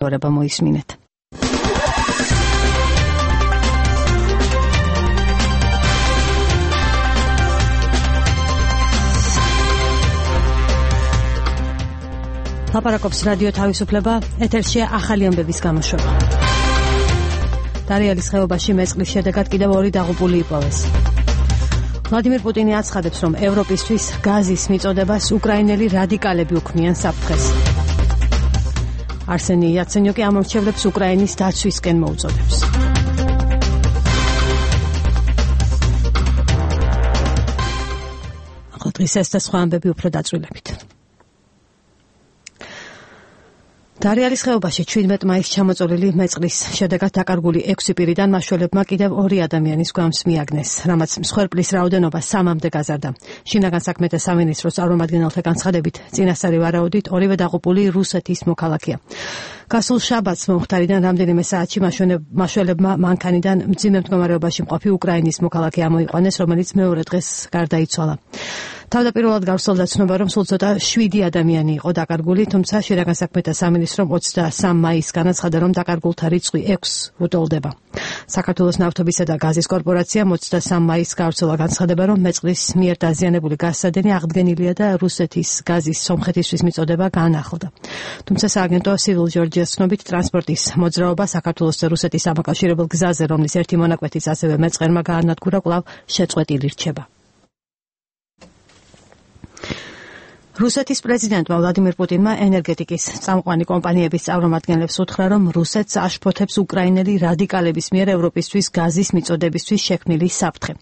ორება მოისმინეთ. ლაპარაკობს რადიო თავისუფლება, ეთერშია ახალი ამბების გამოშვება. დარიალის ხეობაში მეწყლის შედეგად კიდევ 2 დაღუპული იპოვეს. ვლადიმერ პუტინი აცხადებს, რომ ევროპისთვის გაზის მიწოდებას უკრაინელი რადიკალები უქმნიან საფრთხეს. არსენი იაცენიუკი ამორჩევლებს უკრაინის დაცვისკენ მოუწოდებს. ახლა დღის ეს და სხვა ამბები უფრო დაწვრილებით. დარიალის ხეობაში 17 მაისს ჩამოწოლილი მეწყლის შედეგად დაკარგული 6 პირიდან მაშველებმა კიდევ 2 ადამიანის გვამს მიაგნეს, რამაც მსხვერპლის რაოდენობა 3-მდე გაზარდა. შინაგან საქმეთა სამინისტროს წარმომადგენელთა განცხადებით, წინასწარი ვარაუდით 2 დაღუპული რუსეთის მოქალაქეა. გასულ შაბათს მომხდარიდან რამდენიმე საათში მაშველებმა მანქანიდან მძიმე მდგომარეობაში მყოფი უკრაინის მოქალაქე ამოიყვანეს, რომელიც მეორე დღეს გარდაიცვალა. თავდაპირველად გავრცელდა ცნობა, რომ სულ ცოტა 7 ადამიანი იყო დაკარგული, თუმცა შინაგან საქმეთა სამინისტრომ 23 მაისს განაცხადა, რომ დაკარგულთა რიცხვი 6 უტოლდება. საქართველოს ნავთობისა და გაზის კორპორაციამ 23 მაისს გავრცელა განცხადება, რომ მეწყლის მიერ დაზიანებული გაზსადენი აღდგენილია და რუსეთის გაზის სომხეთისთვის მიწოდება განახლდა. თუმცა სააგენტო Civil Georgia-ს ცნობით, ტრანსპორტის მოძრაობა საქართველოს და რუსეთის დამაკავშირებელ გზაზე, რომლის ერთი მონაკვეთიც ასევე მეწყერმა გაანადგურა, კვლავ შეწყვეტილი რჩება. რუსეთის პრეზიდენტმა ვლადიმერ პუტინმა ენერგეტიკის წამყვანი კომპანიების წარმომადგენლებს უთხრა, რომ რუსეთს აშფოთებს უკრაინელი რადიკალების მიერ ევროპისთვის გაზის მიწოდებისთვის შექმნილი საფრთხე.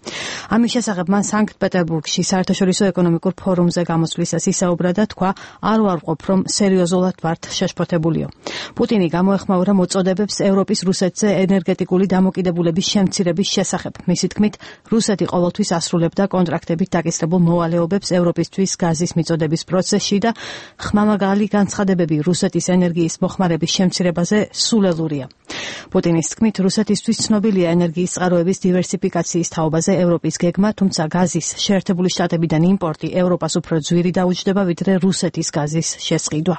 ამის შესახებ მან სანქტ-პეტერბურგში საერთაშორისო ეკონომიკურ ფორუმზე გამოსვლისას ისაუბრა და თქვა, არ ვარყოფ, რომ სერიოზულად ვართ შეშფოთებულიო. პუტინი გამოეხმაურა მოწოდებებს ევროპის რუსეთზე ენერგეტიკული დამოკიდებულების შემცირების შესახებ. მისი თქმით, რუსეთი ყოველთვის ასრულებდა კონტრაქტებით დაკისრებულ მოვალეობებს ევროპისთვის გაზის მიწოდების პროცესში და ხმამაღალი განცხადებები რუსეთის ენერგიის მოხმარების შემცირებაზე სულელურია. პუტინის თქმით, რუსეთისთვის ცნობილია ენერგიის წყაროების დივერსიფიკაციის თაობაზე ევროპის გეგმა, თუმცა გაზის შეერთებული შტატებიდან იმპორტი ევროპას უფრო ძვირი დაუჯდება, ვიდრე რუსეთის გაზის შესყიდვა.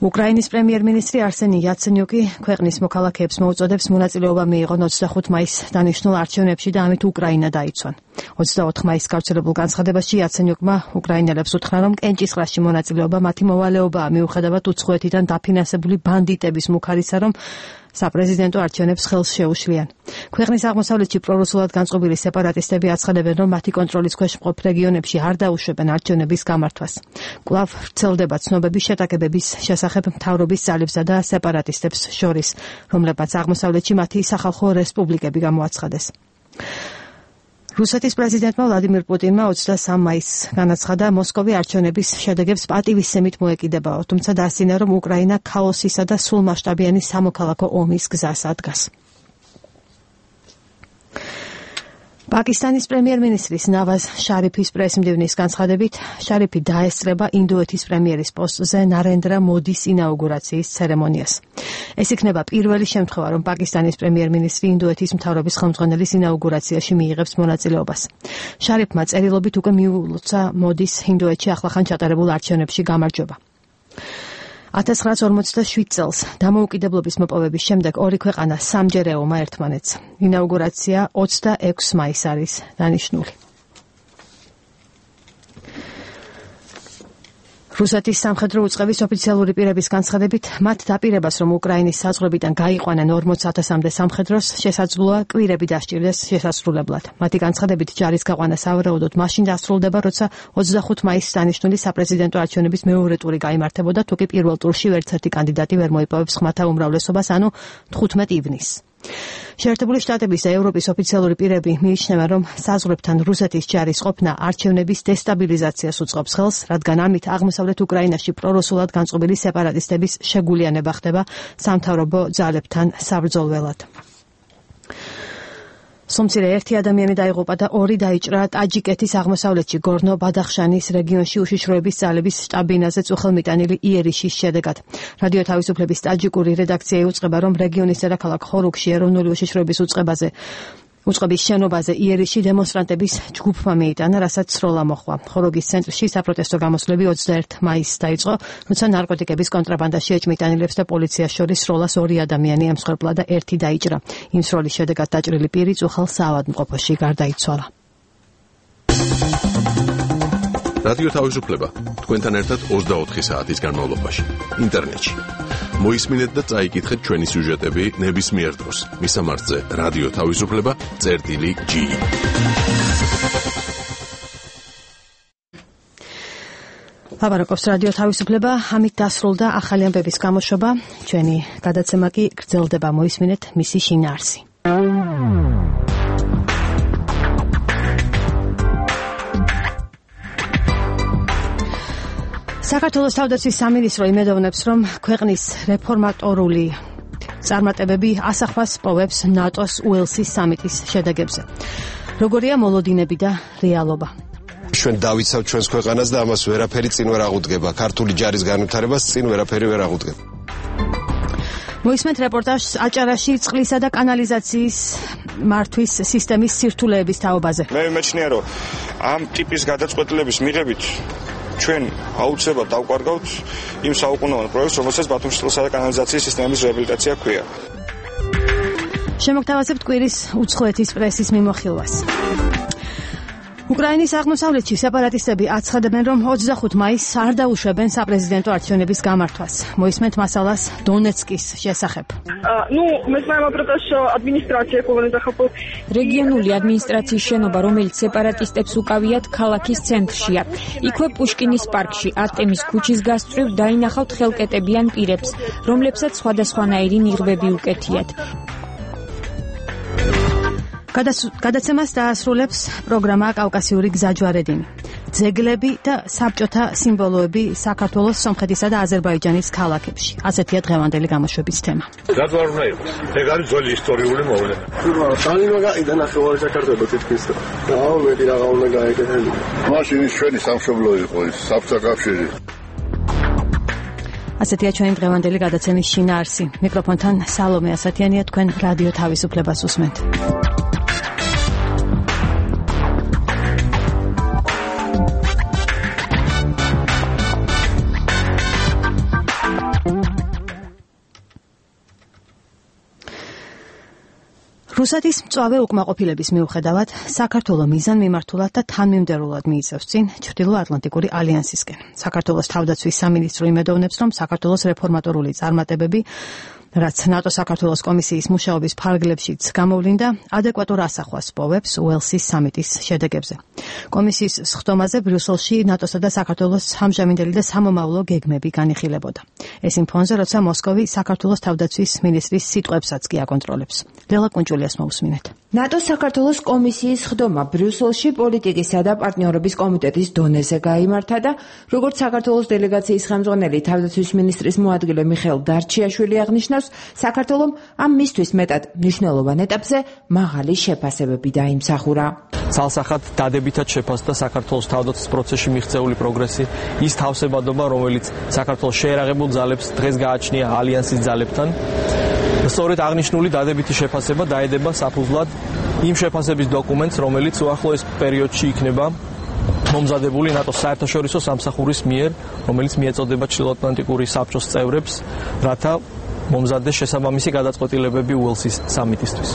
უკრაინის პრემიერ-მინისტრი არსენი იაცენიუკი ქვეყნის მოქალაქეებს მოუწოდებს მონაწილეობა მიიღონ 25 მაისს დანიშნულ არჩევნებში და ამით უკრაინა დაიცვან. 24 მაისს გავრცელებულ განცხადებაში იაცენიუკმა უკრაინელებს უთხრა, რომ კენჭისყრაში მონაწილეობა მათი მოვალეობაა, მიუხედავად უცხოეთიდან დაფინანსებული ბანდიტების მუქარისა, რომ საპრეზიდენტო არჩევნებს ხელს შეუშლიან. ქვეყნის აღმოსავლეთში პრორუსულად განწყობილი სეპარატისტები აცხადებენ, რომ მათი კონტროლის ქვეშ მყოფ რეგიონებში არ დაუშვებენ არჩევნების გამართვას. კვლავ ვრცელდება ცნობები შეტაკებების შესახებ მთავრობის ძალებსა და სეპარატისტებს შორის, რომლებმაც აღმოსავლეთში მათი სახალხო რესპუბლიკები გამოაცხადეს. რუსეთის პრეზიდენტმა ვლადიმერ პუტინმა 23 მაისს განაცხადა, მოსკოვი არჩევნების შედეგებს პატივისცემით მოეკიდებაო, თუმცა დასცინა, რომ უკრაინა ქაოსისა და სრულმასშტაბიანი სამოქალაქო ომის გზას ადგას. პაკისტანის პრემიერ-მინისტრის ნავაზ შარიფის პრესმდივნის განცხადებით, შარიფი დაესწრება ინდოეთის პრემიერის პოსტზე ნარენდრა მოდის ინაუგურაციის ცერემონიას. ეს იქნება პირველი შემთხვევა, რომ პაკისტანის პრემიერ-მინისტრი ინდოეთის მთავრობის ხელმძღვანელის ინაუგურაციაში მიიღებს მონაწილეობას. შარიფმა წერილობით უკვე მიულოცა მოდის ინდოეთში ახლახან ჩატარებულ არჩევნებში გამარჯვება. 1947 წელს დამოუკიდებლობის მოპოვების შემდეგ ორი ქვეყანა სამჯერ ეომა ერთმანეთს. ინაუგურაცია 26 მაისს არის დანიშნული. რუსეთის სამხედრო უწყების ოფიციალური პირების განცხადებით, მათ დაპირებას, რომ უკრაინის საზღვრებიდან გაიყვანენ 40,000-მდე სამხედროს, შესაძლოა კვირები დასჭირდეს შესასრულებლად. მათი განცხადებით, ჯარის გაყვანა სავარაუდოდ მაშინ დასრულდება, როცა 25 მაისს დანიშნული საპრეზიდენტო არჩევნების მეორე ტური გაიმართებოდა, თუკი პირველ ტურში ვერცერთი კანდიდატი ვერ მოიპოვებს ხმათა უმრავლესობას, ანუ 15 ივნისს. შეერთებული შტატების და ევროპის ოფიციალური პირები მიიჩნევენ, რომ საზღვრებთან რუსეთის ჯარის ყოფნა არჩევნების დესტაბილიზაციას უწყობს ხელს, რადგან ამით აღმოსავლეთ უკრაინაში პრორუსულად განწყობილი სეპარატისტების შეგულიანება ხდება სამთავრობო ძალებთან საბრძოლველად. სომცირე ერთი ადამიანი დაიღუპა და 2 დაიჭრა ტაჯიკეთის აღმოსავლეთში გორნო-ბადახშანის რეგიონში უშიშროების ძალების შტაბ-ბინაზე წუხელმიტანილი იერიშის შედეგად. რადიო თავისუფლების ტაჯიკური რედაქცია იუწყება, რომ რეგიონის დედაქალაქ ხორუქში ეროვნული უშიშროების უწყებაზე უწყების შენობაზე იერიში დემონსტრანტების ჯგუფმა მიიტანა, რასაც სროლა მოხდა. ხოროგის ცენტრში საპროტესტო გამოსვლები 21 მაისს დაიწყო, როცა ნარკოტიკების კონტრაბანდაში ეჭმიტანილებს და პოლიციას შორის სროლას 2 ადამიანი ემსხვერპლა და 1 დაიჭრა. იმ სროლის შედეგად დაჭრილი პირი წუხელ საავადმყოფოში გარდაიცვალა. რადიო თავისუფლება თქვენთან ერთად 24 საათის განმავლობაში ინტერნეტში. მოისმინეთ და წაიკითხეთ ჩვენი სიუჟეტები ნებისმიერ დროს. მისამართზე რადიო თავისუფლება.gi. ლაპარაკობს რადიო თავისუფლება, ამით დასრულდა ახალი ამბების გამოშვება. ჩვენი გადაცემა კი გრძელდება, მოისმინეთ მისი შინაარსი. საქართველოს თავდაცვის სამინისტრო იმედოვნებს, რომ ქვეყნის რეფორმატორული წარმატებები ასახვას პოვებს ნატოს უელსის სამიტის შედეგებზე. როგორია მოლოდინები და რეალობა? ჩვენ დავიცავთ ჩვენს ქვეყანას და ამას ვერაფერი წინ ვერ აღუდგება. ქართული ჯარის განვითარებას წინ ვერაფერი ვერ აღუდგება. მოისმენთ რეპორტაჟს აჭარაში წყლისა და კანალიზაციის მართვის სისტემის სირთულეების თაობაზე. მე მეჩნია, რომ ამ ტიპის გადაწყვეტილების მიღებით ჩვენ აუცილებლად დავკარგავთ იმ საუკუნოვან პროექტს, რომელსაც ბათუმში წყლისა და კანალიზაციის სისტემის რეაბილიტაცია ჰქვია. შემოგთავაზებთ კვირის უცხოეთის პრესის მიმოხილვას. უკრაინის აღმოსავლეთში სეპარატისტები აცხადებენ, რომ 25 მაისს არ დაუშვებენ საპრეზიდენტო არჩევნების გამართვას. მოისმენთ მასალას დონეცკის შესახებ. Мы знаем про то, что администрация რეგიონული ადმინისტრაციის შენობა, რომელიც სეპარატისტებს უკავიათ, ქალაქის ცენტრშია. იქვე პუშკინის პარკში, არტემის ქუჩის გასწვრივ დაინახავთ ხელკეტებიან პირებს, რომლებსაც სხვადასხვანაირი ნიღბები უკეთიათ. გადაცემას დაასრულებს პროგრამა კავკასიური გზაჯვარედინი. ძეგლები და საბჭოთა სიმბოლოები საქართველოს, სომხეთისა და აზერბაიჯანის ქალაქებში. ასეთია დღევანდელი გამოშვების თემა. რატო არ უნდა იყოს? ეგ არის ძველი ისტორიული მოვლენა. სანინო გაიდა ნახევარი საქართველოს თითქმის. აუ მეტი რაღა უნდა გაეკეთებინა. მაშინ ის ჩვენი სამშობლო იყო, ის საბჭოთა კავშირი. ასეთია ჩვენი დღევანდელი გადაცემის შინაარსი. მიკროფონთან სალომე ასათიანია, თქვენ რადიო თავისუფლებას უსმენთ. რუსეთის მწვავე უკმაყოფილების მიუხედავად, საქართველო მიზანმიმართულად და თანმიმდევრულად მიიწევს წინ ჩრდილო-ატლანტიკური ალიანსისკენ. საქართველოს თავდაცვის სამინისტრო იმედოვნებს, რომ საქართველოს რეფორმატორული წარმატებები, რაც ნატო საქართველოს კომისიის მუშაობის ფარგლებშიც გამოვლინდა, ადეკვატურ ასახვას პოვებს უელსის სამიტის შედეგებზე. კომისიის სხდომაზე ბრიუსელში ნატოსა და საქართველოს ამჟამინდელი და სამომავლო გეგმები განიხილებოდა. ეს იმ ფონზე, როცა მოსკოვი საქართველოს თავდაცვის მინისტრის სიტყვებსაც კი აკონტროლებს. ლელა კუნჭულიას მოусმინეთ. ნატოს საქართველოს კომისიის სხდომა ბრიუსელში პოლიტიკისა და პარტნიორობის კომიტეტის დონეზე გაიმართა და როგორც საქართველოს დელეგაციის ხელმძღვანელი თავდაცვის მინისტრის მოადგილე მიხეილ დარჩიაშვილი აღნიშნავს, საქართველომ ამ მისთვის მეტად მნიშვნელოვან ეტაპზე მაღალი შეფასებები დაიმსახურა. ცალსახად დადებითად შეფასდა საქართველოს თავდაცვის პროცესში მიღწეული პროგრესი, ის თავსებადობა, რომელიც საქართველოს შეერაღებულ ძალებს დღეს გააჩნია ალიანსის ძალებთან. სწორედ აღნიშნული დადებითი შეფასება დაედება საფუძვლად იმ შეფასების დოკუმენტს, რომელიც უახლოეს პერიოდში იქნება მომზადებული ნატოს საერთაშორისო სამსახურის მიერ, რომელიც მიეწოდება ჩრდილოატლანტიკური საბჭოს წევრებს, რათა მომზადდეს შესაბამისი გადაწყვეტილებები უელსის სამიტისთვის.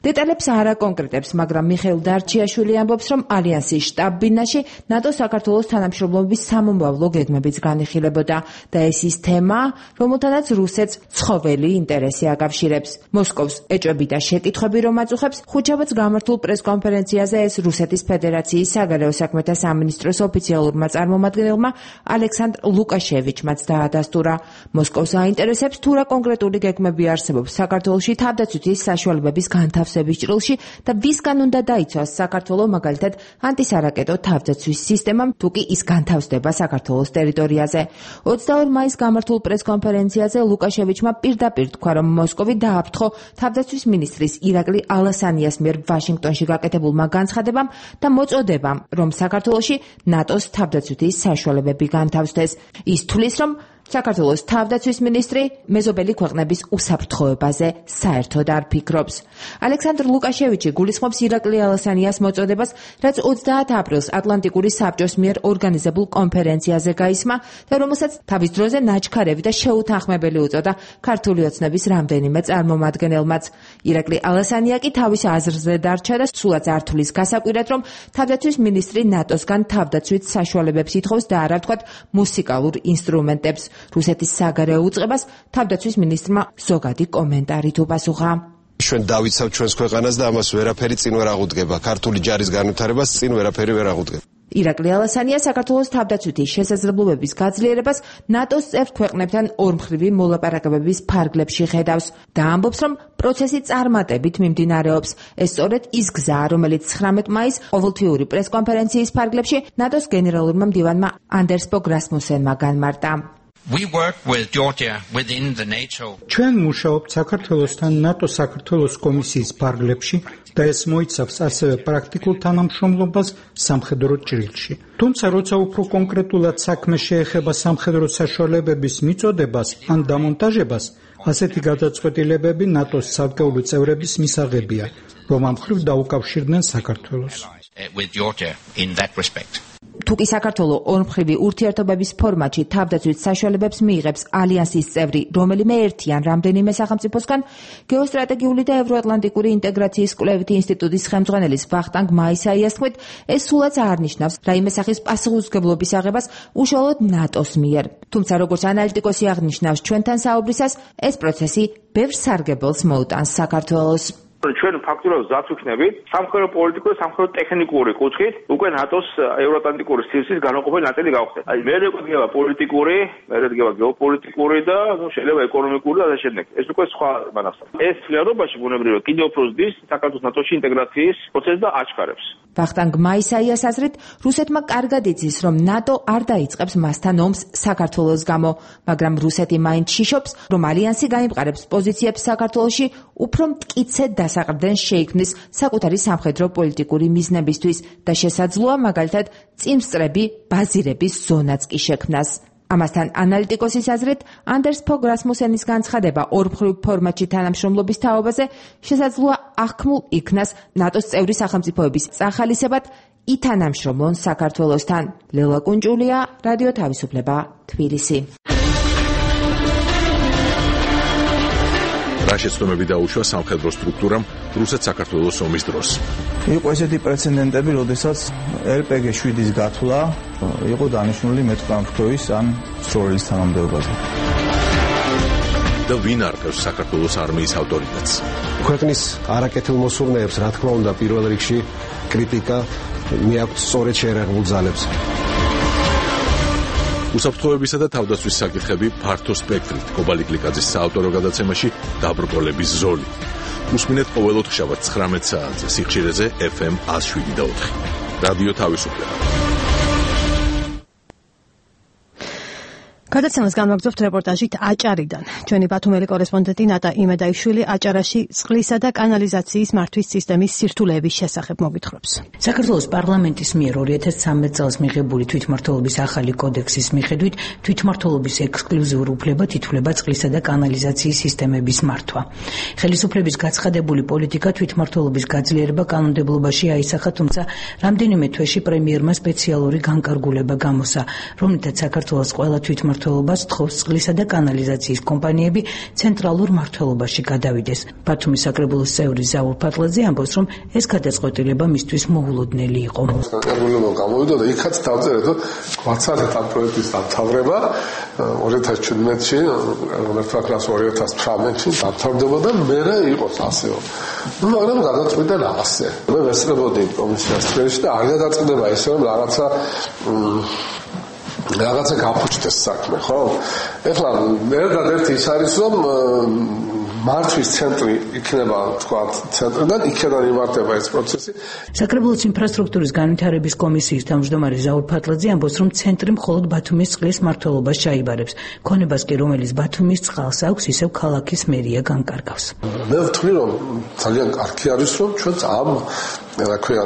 დეტალებს არ აკონკრეტებს, მაგრამ მიხეილ დარჩიაშვილი ამბობს, რომ ალიანსის შტაბ-ბინაში ნატო საქართველოს თანამშრომლობის სამომავლო გეგმებიც განიხილებოდა და ეს ის თემა, რომელთანაც რუსეთს ცხოველი ინტერესი აკავშირებს. მოსკოვს ეჭვები და შეკითხვები რომ აწუხებს, ხუთშაბათს გამართულ პრესკონფერენციაზე ეს რუსეთის ფედერაციის საგარეო საქმეთა სამინისტროს ოფიციალურმა წარმომადგენელმა ალექსანდრ ლუკაშევიჩმაც დაადასტურა. მოსკოვს აინტერესებს თუ რა კონკრეტული გეგმები არსებობს საქართველოში თავდაცვითის საშუალებების განთავსების ჭრილში და ვისგან უნდა დაიცვას საქართველოს მაგალითად ანტისარაკეტო თავდაცვის სისტემამ, თუ კი ის განთავსდება საქართველოს ტერიტორიაზე. 22 მაისს გამართულ პრესკონფერენციაზე ლუკაშევიჩმა პირდაპირ თქვა, რომ მოსკოვი დააფრთხო თავდაცვის მინისტრის ირაკლი ალასანიას მიერ ვაშინგტონში გაკეთებულმა განცხადებამ და მოწოდებამ, რომ საქართველოში ნატოს თავდაცვითი საშუალებები განთავსდეს. ის თვლის, რომ საქართველოს თავდაცვის მინისტრი მეზობელი ქვეყნების უსაფრთხოებაზე საერთოდ არ ფიქრობს. ალექსანდრ ლუკაშევიჩი გულისხმობს ირაკლი ალასანიას მოწოდებას, რაც 30 აპრილს ატლანტიკური საბჭოს მიერ ორგანიზებულ კონფერენციაზე გაისმა და რომელსაც თავის დროზე ნაჩქარევი და შეუთანხმებელი უწოდა ქართული ოცნების რამდენიმე წარმომადგენელმაც. ირაკლი ალასანია კი თავის აზრზე დარჩა და სულაც არ თვლის გასაკვირად, რომ თავდაცვის მინისტრი ნატოსგან თავდაცვით საშუალებებს ითხოვს და არა ვთქვათ მუსიკალურ ინსტრუმენტებს. რუსეთის საგარეო უწყებას თავდაცვის მინისტრმა ზოგადი კომენტარით უპასუხა. ჩვენ დავიცავთ ჩვენს ქვეყანას და ამას ვერაფერი წინ ვერ აღუდგება. ქართული ჯარის განვითარებას წინ ვერაფერი ვერ აღუდგება. ირაკლი ალასანია საქართველოს თავდაცვითი შესაძლებლობების გაძლიერებას ნატოს წევრ ქვეყნებთან ორმხრივი მოლაპარაკებების ფარგლებში ხედავს და ამბობს, რომ პროცესი წარმატებით მიმდინარეობს. ეს სწორედ ის გზაა, რომელიც 19 მაისს ყოველთვიური პრესკონფერენციის ფარგლებში ნატოს გენერალურმა მდივანმა ანდერს ბოგ რასმუსენმა განმარტა. ჩვენ მუშაობთ საქართველოსთან ნატო საქართველოს კომისიის ფარგლებში და ეს მოიცავს ასევე პრაქტიკულ თანამშრომლობას სამხედრო ჭრილში. თუმცა როცა უფრო კონკრეტულად საქმე შეეხება სამხედრო საშუალებების მიწოდებას ან დამონტაჟებას, ასეთი გადაწყვეტილებები ნატოს ცალკეული წევრების მისაღებია, რომ ამ მხრივ დაუკავშირდნენ საქართველოს. თუკი საქართველოს ორმხრივი ურთიერთობების ფორმატში თავდაცვით საშუალებებს მიიღებს ალიანსის წევრი რომელიმე ერთი ან რამდენიმე სახელმწიფოსგან, გეოსტრატეგიული და ევროატლანტიკური ინტეგრაციის კვლევითი ინსტიტუტის ხელმძღვანელის ვახტანგ მაისაიას თქმით, ეს სულაც არ ნიშნავს რაიმე სახის პასუხისმგებლობის აღებას უშუალოდ ნატოს მიერ. თუმცა როგორც ანალიტიკოსი აღნიშნავს ჩვენთან საუბრისას, ეს პროცესი ბევრ სარგებელს მოუტანს საქართველოს. ჩვენ ფაქტურად ზაც ვიქნებით სამხედრო პოლიტიკური და სამხედრო ტექნიკური კუთხით უკვე ნატოს ევროატლანტიკური სივრცის განუყოფელი ნაწილი გავხდეთ. აი მე რეკომენდია პოლიტიკური, მე რეკომენდია გეოპოლიტიკური და შეიძლება ეკონომიკური და ასე შემდეგ. ეს უკვე სხვა მანახსა. ეს რეალობაში ბუნებრივია კიდევ უფრო ზრდის საქართველოს ნატოში ინტეგრაციის პროცესს და აჩქარებს. ვახტანგ მაისაიას აზრით, რუსეთმა კარგად იცის, რომ ნატო არ დაიწყებს მასთან ომს საქართველოს გამო, მაგრამ რუსეთი მაინც შიშობს, რომ ალიანსი გაიმყარებს პოზიციებს საქართველოში უფრო მტკიცედ დასაყრდენ შეიქმნის საკუთარი სამხედრო პოლიტიკური მიზნებისთვის და შესაძლოა მაგალითად წინსწრები ბაზირების ზონაც კი შექმნას. ამასთან ანალიტიკოსის აზრით, ანდერს ბოგ რასმუსენის განცხადება ორმხრივ ფორმატში თანამშრომლობის თაობაზე შესაძლოა აღქმულ იქნას ნატოს წევრი სახელმწიფოების წახალისებად ითანამშრომლონ საქართველოსთან. ლელა კუნჭულია, რადიო თავისუფლება, თბილისი. რა შეცდომები დაუშვა სამხედრო სტრუქტურამ რუსეთ-საქართველოს ომის დროს. იყო ესეთი პრეცედენტები, როდესაც RPG-7-ის გათვლა იყო დანიშნული მეტყამფრთოის ან სროლის თანამდებობაზე. და ვინ არკევს საქართველოს არმიის ავტორიტეტს? ქვეყნის არაკეთილ მოსურნეებს, რა თქმა უნდა, პირველ რიგში კრიტიკა მიაქვთ სწორედ შეერაღებულ ძალებს. უსაფრთხოებისა და თავდაცვის საკითხები ფართო სპექტრით. კობალი გლიკაძის საავტორო გადაცემაში დაბრკოლების ზოლი. უსმინეთ ყოველ ოთხშაბათს 19 საათზე სიხშირეზე FM 107.4. რადიო თავისუფლება. გადაცემას განვაგრძობთ რეპორტაჟით აჭარიდან. ჩვენი ბათუმელი კორესპონდენტი ნატა იმედაიშვილი აჭარაში წყლისა და კანალიზაციის მართვის სისტემის სირთულეების შესახებ მოგვითხრობს. საქართველოს პარლამენტის მიერ 2013 წელს მიღებული თვითმმართველობის ახალი კოდექსის მიხედვით თვითმმართველობის ექსკლუზიურ უფლებად ითვლება წყლისა და კანალიზაციის სისტემების მართვა. ხელისუფლების გაცხადებული პოლიტიკა თვითმმართველობის გაძლიერება კანონმდებლობაში აისახა, თუმცა რამდენიმე თვეში პრემიერმა სპეციალური განკარგულება გამოსცა, რომლითაც საქართველოს ყველა თვითმმართველობა თხოვს წყლისა და კანალიზაციის კომპანიები ცენტრალურ მმართველობაში გადავიდეს. ბათუმის საკრებულოს წევრი ზაურ ფატლაძე ამბობს, რომ ეს გადაწყვეტილება მისთვის მოულოდნელი იყო. განკარგულება გამოვიდა და იქაც დავწერეთ, რომ გვაცადეთ ამ პროექტის დამთავრება 2017-ში, მართლაც 2018-ში დამთავრდება და მერე იყოს ასეო. მაგრამ გადაწყვიტა ასე. მე ვესწრებოდი კომისიას წრეში და არ გადაწყვეტება ესე, რომ რაღაცა გაფუჭდეს საქმე, ხო? ეხლა ერთადერთი ის არის, რომ მართვის ცენტრი იქნება, თქვა, ცენტრიდან იქიდან იმართება ეს პროცესი. საკრებულოს ინფრასტრუქტურის განვითარების კომისიის თავმჯდომარე ზაურ ფატლაძე ამბობს, რომ ცენტრი მხოლოდ ბათუმის წყლის მმართველობას ჩაიბარებს. ქონებას კი, რომელიც ბათუმის წყალს აქვს, ისევ ქალაქის მერია განკარგავს. მე ვთვლი, რომ ძალიან კარგი არის, რომ ჩვენც ამ რა ქვია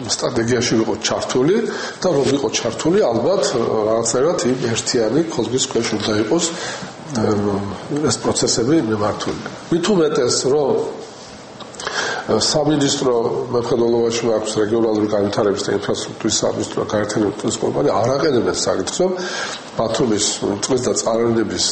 სტრატეგიაში ვიყოთ ჩართული და რომ ვიყოთ ჩართული, ალბათ რაღაცნაირად იმ ერთიანი ხოზბის ქვეშ უნდა იყოს ეს პროცესები მიმართული. მით უმეტეს, რომ სამინისტრო მეფხდელობაში აქვს რეგიონალური განვითარების და ინფრასტრუქტურის სამინისტრო გაერთიანების კომპანია არ აყენებს საკითხს, რომ ბათუმის წყლის და წყალენების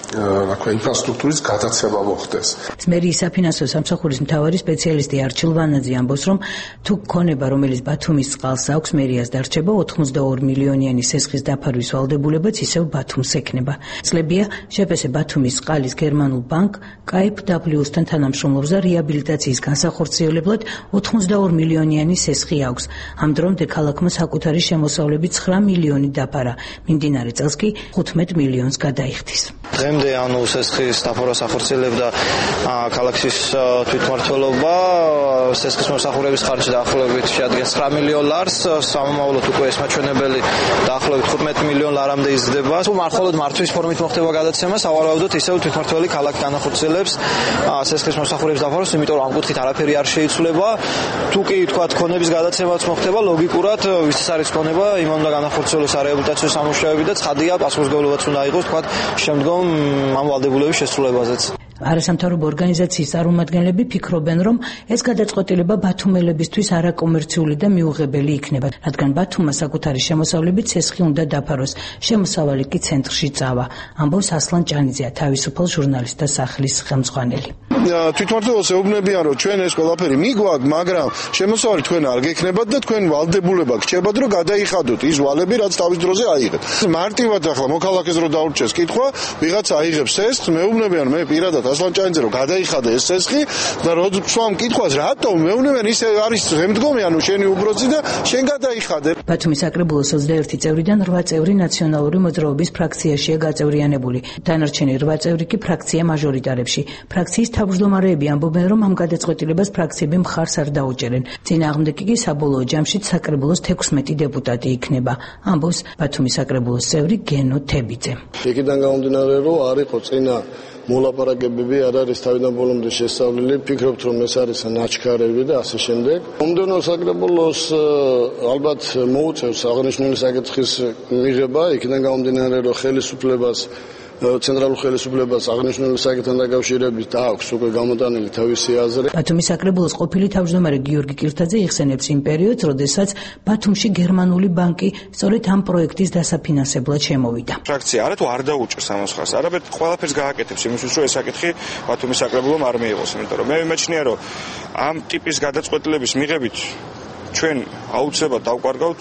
ინფრასტრუქტურის გადაცემა მოხდეს. მერიის საფინანსო სამსახურის მთავარი სპეციალისტი არჩილ ვანაძე ამბობს, რომ თუ ქონება, რომელიც ბათუმის წყალს აქვს, მერიას დარჩება 82 მილიონიანი სესხის დაფარვის ვალდებულებაც ისევ ბათუმს ექნება. წლებია შეფესე ბათუმის წყალის გერმანულ ბანკ KfW-სთან თანამშრომლობს და რეაბილიტაციის განსახორციელებლად 82 მილიონიანი სესხი აქვს. ამ დრომდე ქალაქმა საკუთარი შემოსავლები 9 მილიონი დაფარა. მიმდინარე წელს კი 15 მილიონს გადაიხდის. დღემდე სესხის დაფარვას ახორციელებდა ქალაქის თვითმმართველობა. სესხის მომსახურების ხარჯი დაახლოებით შეადგენს 9 მილიონ ლარს, სამომავლოდ უკვე ეს მაჩვენებელი დაახლოებით 15 მილიონ ლარამდე იზრდება. თუ მხოლოდ მართვის ფორმით მოხდება გადაცემა, სავარაუდოდ ისევ თვითმმართველი ქალაქი განახორციელებს სესხის მომსახურების დაფარვას, იმიტომ რომ ამ კუთხით არაფერი არ შეიცვლება. თუ კი თქვათ ქონების გადაცემაც მოხდება, ლოგიკურად ვის არის ქონება, იმ უნდა განახორციელოსარეაბილიტაციო სამუშაოები და ცხადია პასუხისმგებლობაც უნდა იყოს თქვათ შემდგომ ამ ვალდებულების შესრულებაზეც. არასამთავრობო ორგანიზაციის წარმომადგენლები ფიქრობენ, რომ ეს გადაწყვეტილება ბათუმელებისთვის არაკომერციული და მიუღებელი იქნება, რადგან ბათუმმა საკუთარი შემოსავლებით სესხი უნდა დაფაროს, შემოსავალი კი ცენტრში წავა. ამბობს ასლან ჭანიძე, თავისუფალ ჟურნალისტთა სახლის ხელმძღვანელი. თვითმმართველობას ეუბნებიან, რომ ჩვენ ეს ყველაფერი მიგვაქვს, მაგრამ შემოსავალი თქვენ არ გექნებათ და თქვენ ვალდებულება გჭირდებათ, რომ გადაიხადოთ ის ვალები, რაც თავის დროზე აიღეთ. მარტივად ახლა მოქალაქეს რო დაურჩეს კითხვა, ვიღაცა აიღებს სესხს, მეუბნებიან მე პირადად ასლან ჭანიძე რომ გადაიხადა ეს სესხი და როდესაც მკითხავს რატომ მეუბნებიან ისე არის შემდგომი, ანუ შენი უბროწი და შენ გადაიხადე. ბათუმის საკრებულოს 21 წევრიდან 8 წევრი ნაციონალური მოძრაობის ფრაქციაშია გაწევრიანებული. დანარჩენი 8 წევრი კი ფრაქცია მაჟორიტარებში. ფრაქციის თავმჯდომარეები ამბობენ, რომ ამ გადაწყვეტილებას ფრაქციები მხარს არ დაუჭერენ. წინააღმდეგი კი საბოლოო ჯამში საკრებულოს 16 დეპუტატი იქნება. ამბობს ბათუმის საკრებულოს წევრი გენო თებიძე. იქიდან გამომდინარე, რომ არ იყო წინა მოლაპარაკებები არ არის თავიდან ბოლომდე შესწავლილი, ფიქრობთ რომ ეს არის ნაჩქარევი და ასე შემდეგ. მომდევნო საკრებულოს ალბათ მოუწევს აღნიშნული საკითხის მიღება, იქიდან გამომდინარე რომ ხელისუფლებას ცენტრალურ ხელისუფლებას აღნიშნული საკითხთან დაკავშირებით აქვს უკვე გამოტანილი თავისი აზრი. ბათუმის საკრებულოს ყოფილი თავმჯდომარე გიორგი კირთაძე იხსენებს იმ პერიოდს, როდესაც ბათუმში გერმანული ბანკი სწორედ ამ პროექტის დასაფინანსებლად შემოვიდა. ფრაქცია არა თუ არ დაუჭერს ამას ხარს, არამედ ყველაფერს გააკეთებს იმისთვის, რომ ეს საკითხი ბათუმის საკრებულომ არ მიიღოს, იმიტომ რომ მე მიმეჩნია, რომ ამ ტიპის გადაწყვეტილების მიღებით ჩვენ აუცილებლად დავკარგავთ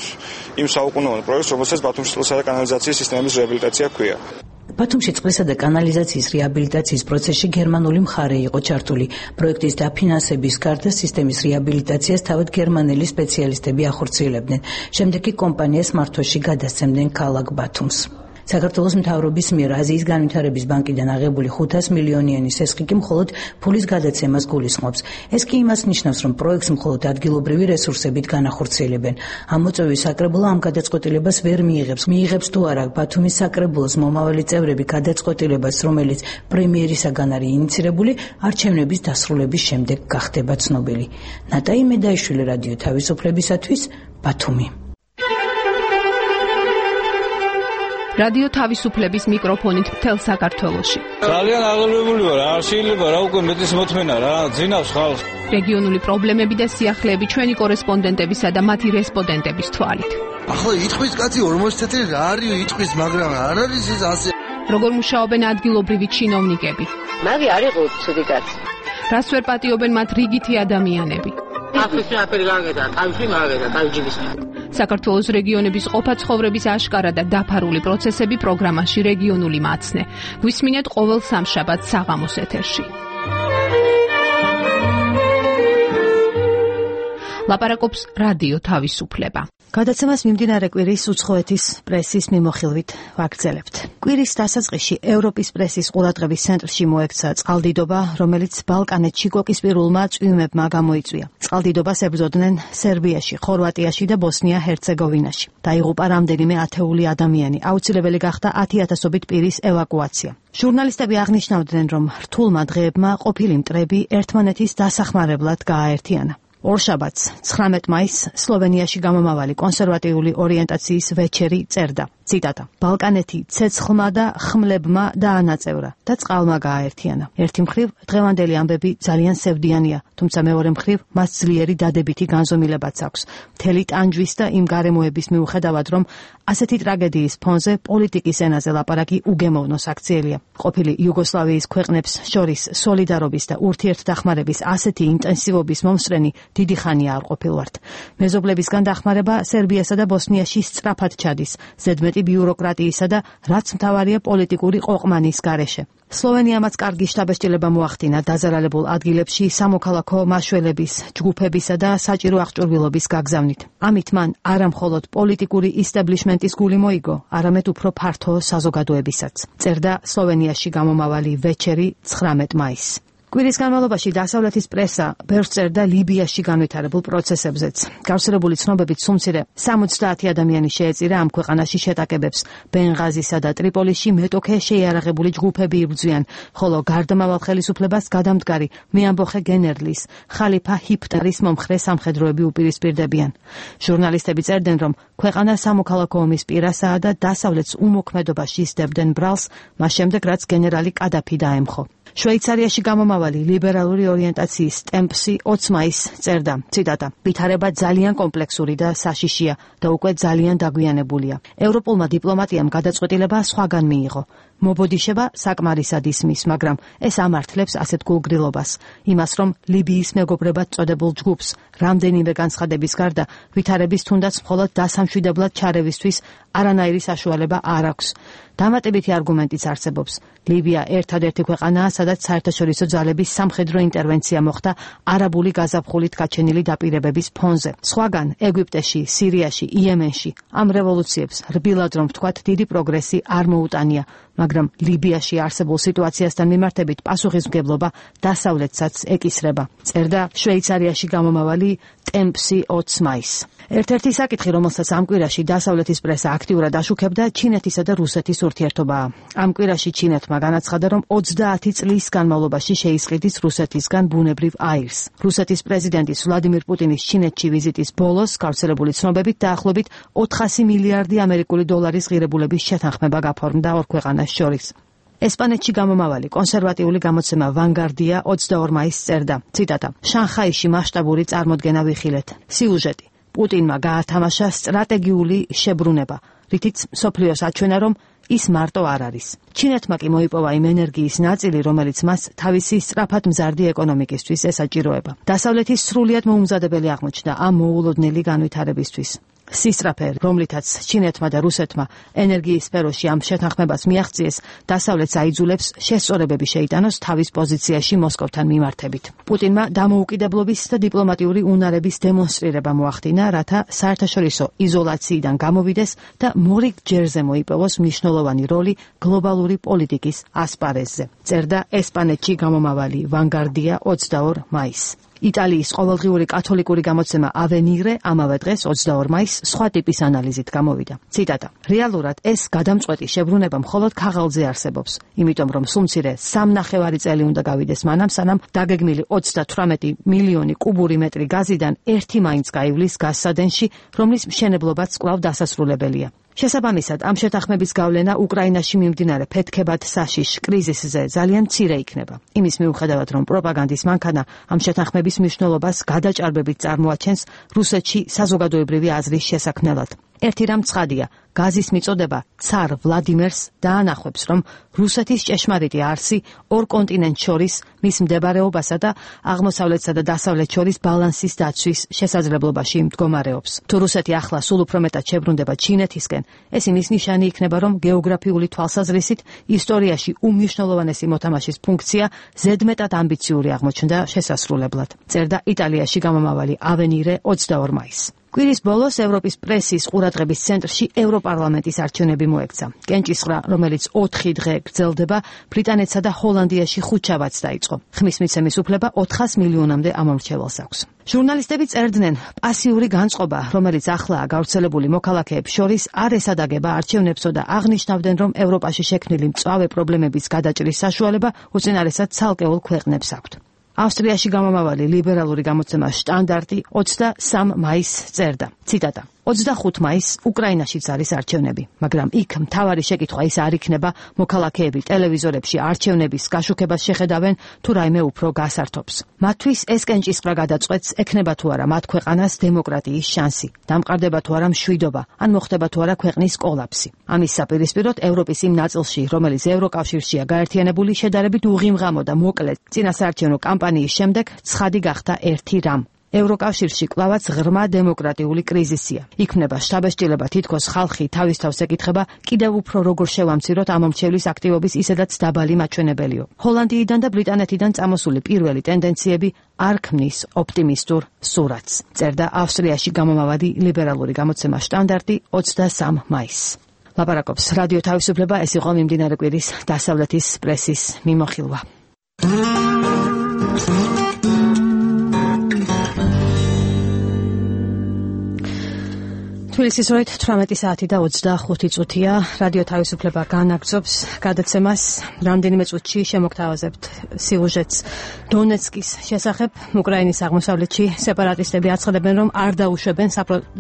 იმ საუკუნოვან პროექტს, რომელსაც ბათუმის წყლისა და კანალიზაციის სისტემების რეაბილიტაცია ჰქვია. ბათუმში წყლისა და კანალიზაციის რეაბილიტაციის პროცესში გერმანული მხარე იყო ჩართული. პროექტის დაფინანსების გარდა სისტემის რეაბილიტაციას თავად გერმანელი სპეციალისტები ახორციელებდნენ. შემდეგ კი კომპანიას მართვაში გადასცემდნენ ქალაქ ბათუმს. საქართველოს მთავრობის მიერ აზიის განვითარების ბანკიდან აღებული 500 მილიონიანი სესხი კი მხოლოდ ფულის გადაცემას გულისხმობს. ეს კი იმას ნიშნავს, რომ პროექტს მხოლოდ ადგილობრივი რესურსებით განახორციელებენ. ამ მოწვევის საკრებულო ამ გადაწყვეტილებას ვერ მიიღებს. მიიღებს თუ არა ბათუმის საკრებულოს მომავალი წევრები გადაწყვეტილებას, რომელიც პრემიერისაგან არის ინიცირებული, არჩევნების დასრულების შემდეგ გახდება ცნობილი. ნატაი მედაიშვილი, რადიო თავისუფლებისათვის, ბათუმი. რადიო თავისუფლების მიკროფონით მთელ საქართველოში. ძალიან აღელვებული ვარ, არ შეიძლება რა უკვე მეტის მოთმენა რა, ძინავს ხალხს. რეგიონული პრობლემები და სიახლეები ჩვენი კორესპონდენტებისა და მათი რესპონდენტების თვალით. ახლა იტყვის კაცი 40 წელი რა არის იტყვის, მაგრამ არ არის ის ასე. როგორ მუშაობენ ადგილობრივი ჩინოვნიკები? მაგი არ იყო ცუდი კაცი. რას ვერ პატიობენ მათ რიგითი ადამიანები? ახლა აფერი გაგედა, თავში მაგედა, თავჯიბის. საქართველოს რეგიონების ყოფა ცხოვრების აშკარა და დაფარული პროცესები პროგრამაში რეგიონული მაცნე. გვისმინეთ ყოველ სამშაბათს საღამოს ეთერში. ლაპარაკობს რადიო თავისუფლება. გადაცემას მიმდინარე კვირის უცხოეთის პრესის მიმოხილვით ვაგრძელებთ. კვირის დასაწყისში ევროპის პრესის ყურადღების ცენტრში მოექცა წყალდიდობა, რომელიც ბალკანეთში კოკისპირულმა წვიმებმა გამოიწვია. წყალდიდობას ებრძოდნენ სერბიაში, ხორვატიაში და ბოსნია-ჰერცეგოვინაში. დაიღუპა რამდენიმე ათეული ადამიანი. აუცილებელი გახდა 10,000-ობით პირის ევაკუაცია. ჟურნალისტები აღნიშნავდნენ, რომ რთულმა დღეებმა ყოფილი მტრები ერთმანეთის დასახმარებლად გააერთიანა. ორშაბათს 19 მაისს სლოვენიაში გამომავალი კონსერვატიული ორიენტაციის ვეჩერი წერდა. ციტატა: ბალკანეთი ცეცხლმა და ხმლებმა დაანაწევრა და წყალმა გააერთიანა. ერთი მხრივ დღევანდელი ამბები ძალიან სევდიანია, თუმცა მეორე მხრივ მას ძლიერი დადებითი განზომილებაც აქვს. მთელი ტანჯვის და იმ გარემოების მიუხედავად, რომ ასეთი ტრაგედიის ფონზე პოლიტიკის ენაზე ლაპარაკი უგემოვნოს აქციელია. ყოფილი იუგოსლავიის ქვეყნებს შორის სოლიდარობის და ურთიერთდახმარების ასეთი ინტენსივობის მომსწრენი დიდი ხანია არ ყოფილვართ. მეზობლებისგან დახმარება სერბიასა და ბოსნიაში სწრაფად ჩადის, ზედმეტი ბიუროკრატიისა და რაც მთავარია პოლიტიკური ყოყმანის გარეშე. სლოვენიამაც კარგი შტაბ-ბეჭდილება მოახდინა დაზარალებულ ადგილებში სამოქალაქო მაშველების, ჯგუფებისა და საჭირო აღჭურვილობის გაგზავნით. ამით მან არა მხოლოდ პოლიტიკური ისტაბლიშმენტის გული მოიგო, არამედ უფრო ფართო საზოგადოებისაც. წერდა სლოვენიაში გამომავალი ვეჩერი 19 მაისს. კვირის განმავლობაში დასავლეთის პრესა ბევრს წერდა ლიბიაში განვითარებულ პროცესებზეც. გავრცელებული ცნობებით სულ მცირე 70 ადამიანი შეეწირა ამ ქვეყანაში შეტაკებებს. ბენღაზისა და ტრიპოლიში მეტოქე შეიარაღებული ჯგუფები იბრძვიან, ხოლო გარდამავალ ხელისუფლებას გადამდგარი მეამბოხე გენერლის, ხალიფა ჰიფტარის მომხრე სამხედროები უპირისპირდებიან. ჟურნალისტები წერდნენ, რომ ქვეყანა სამოქალაქო ომის პირასაა და დასავლეთს უმოქმედობაში სდებდნენ ბრალს, მას შემდეგ რაც გენერალი კადაფი დაემხო. შვეიცარიაში გამომავალი ლიბერალური ორიენტაციის ტემპსი 20 მაისს წერდა, ციტატა: ვითარება ძალიან კომპლექსური და საშიშია და უკვე ძალიან დაგვიანებულია. ევროპულმა დიპლომატიამ გადაწყვეტილება სხვაგან მიიღო. მობოდიშება საკმარისად ისმის, მაგრამ ეს ამართლებს ასეთ გულგრილობას, იმას, რომ ლიბიის მეგობრებად წოდებულ ჯგუფს რამდენიმე განცხადების გარდა ვითარების თუნდაც მხოლოდ დასამშვიდებლად ჩარევისთვის არანაირი საშუალება არ აქვს. დამატებითი არგუმენტიც არსებობს. ლიბია ერთადერთი ქვეყანაა, სადაც საერთაშორისო ძალების სამხედრო ინტერვენცია მოხდა არაბული გაზაფხულით გაჩენილი დაპირებების ფონზე. სხვაგან ეგვიპტეში, სირიაში, იემენში ამ რევოლუციებს რბილად რომ ვთქვათ, დიდი პროგრესი არ მოუტანია, მაგრამ ლიბიაში არსებულ სიტუაციასთან მიმართებით პასუხისმგებლობა დასავლეთსაც ეკისრება. წერდა შვეიცარიაში გამომავალი ტემპსი 20 მაისს. ერთ-ერთი საკითხი, რომელსაც ამ კვირაში დასავლეთის პრესა აქტიურად აშუქებდა, ჩინეთისა და რუსეთის ურთიერთობაა. ამ კვირაში ჩინეთმა განაცხადა, რომ 20 წლის განმავლობაში შეისყიდის რუსეთისგან ბუნებრივ აირს. რუსეთის პრეზიდენტის ვლადიმირ პუტინის ჩინეთში ვიზიტის ბოლოს გავრცელებული ცნობებით დაახლოებით 400 მილიარდი ამერიკული დოლარის ღირებულების შეთანხმება გაფორმდა ორ ქვეყანას შორის. ესპანეთში გამომავალი კონსერვატიული გამოცემა ვანგარდია 22 მაისს წერდა, ციტატა: შანხაიში მასშტაბური წარმოდგენა ვიხილეთ. სიუჟეტი: პუტინმა გაათამაშა სტრატეგიული შებრუნება, რითიც მსოფლიოს აჩვენა, რომ ის მარტო არ არის. ჩინეთმა კი მოიპოვა იმ ენერგიის ნაწილი, რომელიც მას თავისი სწრაფად მზარდი ეკონომიკისთვის ესაჭიროება. დასავლეთის სრულიად მოუმზადებელი აღმოჩნდა ამ მოულოდნელი განვითარებისთვის. სისწრაფე, რომლითაც ჩინეთმა და რუსეთმა ენერგიის სფეროში ამ შეთანხმებას მიაღწიეს, დასავლეთს აიძულებს შესწორებები შეიტანოს თავის პოზიციაში მოსკოვთან მიმართებით. პუტინმა დამოუკიდებლობის და დიპლომატიური უნარების დემონსტრირება მოახდინა, რათა საერთაშორისო იზოლაციიდან გამოვიდეს და მორიგ ჯერზე მოიპოვოს მნიშვნელოვანი როლი გლობალური პოლიტიკის ასპარეზზე. წერდა ესპანეთში გამომავალი ვანგარდია 22 მაისს. იტალიის ყოველდღიური კათოლიკური გამოცემა ავენირე ამავე დღეს 22 მაისს სხვა ტიპის ანალიზით გამოვიდა. ციტატა: რეალურად ეს გადამწყვეტი შებრუნება მხოლოდ ქაღალდზე არსებობს, იმიტომ რომ სულ მცირე 3.5 წელი უნდა გავიდეს მანამ, სანამ დაგეგმილი 38 მილიონი კუბური მეტრი გაზიდან ერთი მაინც გაივლის გაზსადენში, რომლის მშენებლობაც კვლავ დასასრულებელია. შესაბამისად, ამ შეთანხმების გავლენა უკრაინაში მიმდინარე ფეთქებად საშიშ კრიზისზე ძალიან მცირე იქნება. იმის მიუხედავად, რომ პროპაგანდის მანქანა ამ შეთანხმების მნიშვნელობას გადაჭარბებით წარმოაჩენს რუსეთში საზოგადოებრივი აზრის შესაქმნელად. ერთი რამ ცხადია, გაზის მიწოდება ცარ ვლადიმერს დაანახებს, რომ რუსეთის ჭეშმარიტი არსი ორ კონტინენტს შორის მის მდებარეობასა და აღმოსავლეთსა და დასავლეთ შორის ბალანსის დაცვის შესაძლებლობაში მდგომარეობს. თუ რუსეთი ახლა სულ უფრო მეტად შებრუნდება ჩინეთისკენ, ეს იმის ნიშანი იქნება, რომ გეოგრაფიული თვალსაზრისით ისტორიაში უმნიშვნელოვანესი მოთამაშის ფუნქცია ზედმეტად ამბიციური აღმოჩნდა შესასრულებლად. წერდა იტალიაში გამომავალი ავენირე 22 მაისს. კვირის ბოლოს ევროპის პრესის ყურადღების ცენტრში ევროპარლამენტის არჩევნები მოექცა. კენჭისყრა, რომელიც 4 დღე გრძელდება, ბრიტანეთსა და ჰოლანდიაში ხუთშაბათს დაიწყო. ხმის მიცემის უფლება 400 მილიონამდე ამომრჩეველს აქვს. ჟურნალისტები წერდნენ, პასიური განწყობა, რომელიც ახლაა გავრცელებული მოქალაქეებს შორის, არ ესადაგება არჩევნებსო და აღნიშნავდნენ, რომ ევროპაში შექმნილი მწვავე პრობლემების გადაჭრის საშუალება უწინარესად ცალკეულ ქვეყნებს აქვთ. ავსტრიაში გამომავალი ლიბერალური გამოცემა შტანდარტი 23 მაისს წერდა. ციტატა: 25 მაისს უკრაინაშიც არის არჩევნები, მაგრამ იქ მთავარი შეკითხვა ის არ იქნება, მოქალაქეები ტელევიზორებში არჩევნების გაშუქებას შეხედავენ თუ რაიმე უფრო გასართობს. მათთვის ეს კენჭისყრა გადაწყვეტს, ექნება თუ არა მათ ქვეყანას დემოკრატიის შანსი, დამყარდება თუ არა მშვიდობა, ან მოხდება თუ არა ქვეყნის კოლაფსი. ამის საპირისპიროდ ევროპის იმ ნაწილში, რომელიც ევროკავშირშია გაერთიანებული, შედარებით უღიმღამო და მოკლე წინასაარჩევნო კამპანიის შემდეგ ცხადი გახდა ერთი რამ: ევროკავშირში კლავაც ღრმა დემოკრატიული კრიზისია. იქმნება შთაბეჭდილება, თითქოს ხალხი თავის თავს ეკითხება, კიდევ უფრო როგორ შევამციროთ ამომრჩევლის აქტივობის ისედაც დაბალი მაჩვენებელიო. ჰოლანდიიდან და ბრიტანეთიდან წამოსული პირველი ტენდენციები არ ქმნის ოპტიმისტურ სურათს, წერდა ავსტრიაში გამომავალი ლიბერალური გამოცემა შტანდარტი 23 მაისს. ლაპარაკობს რადიო თავისუფლება, ეს იყო მიმდინარე კვირის დასავლეთის პრესის მიმოხილვა. თბილისის როით 18 საათი და 25 წუთია. რადიო თავისუფლება განაგრძობს გადაცემას. რამდენიმე წუთში შემოგთავაზებთ სიუჟეტს დონეცკის შესახებ. უკრაინის აღმოსავლეთში სეპარატისტები აცხადებენ, რომ არ დაუშვებენ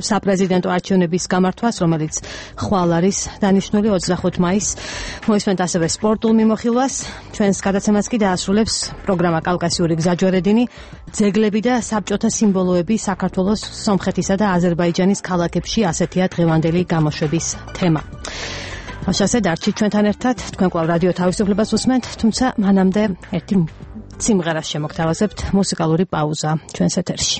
საპრეზიდენტო არჩევნების გამართვას, რომელიც ხვალ არის დანიშნული 25 მაისს. მოისმენთ ასევე სპორტულ მიმოხილვას. ჩვენს გადაცემას კი დაასრულებს პროგრამა კავკასიური გზაჯვარედინი, ძეგლები და საბჭოთა სიმბოლოები საქართველოს, სომხეთისა და აზერბაიჯანის ქალაქებში. ასეთია დღევანდელი გამოშვების თემა. ასე დარჩით ჩვენთან ერთად, თქვენ კვლავ რადიო თავისუფლებას უსმენთ, თუმცა მანამდე ერთი სიმღერას შემოგთავაზებთ, მუსიკალური პაუზა ჩვენს ეთერში.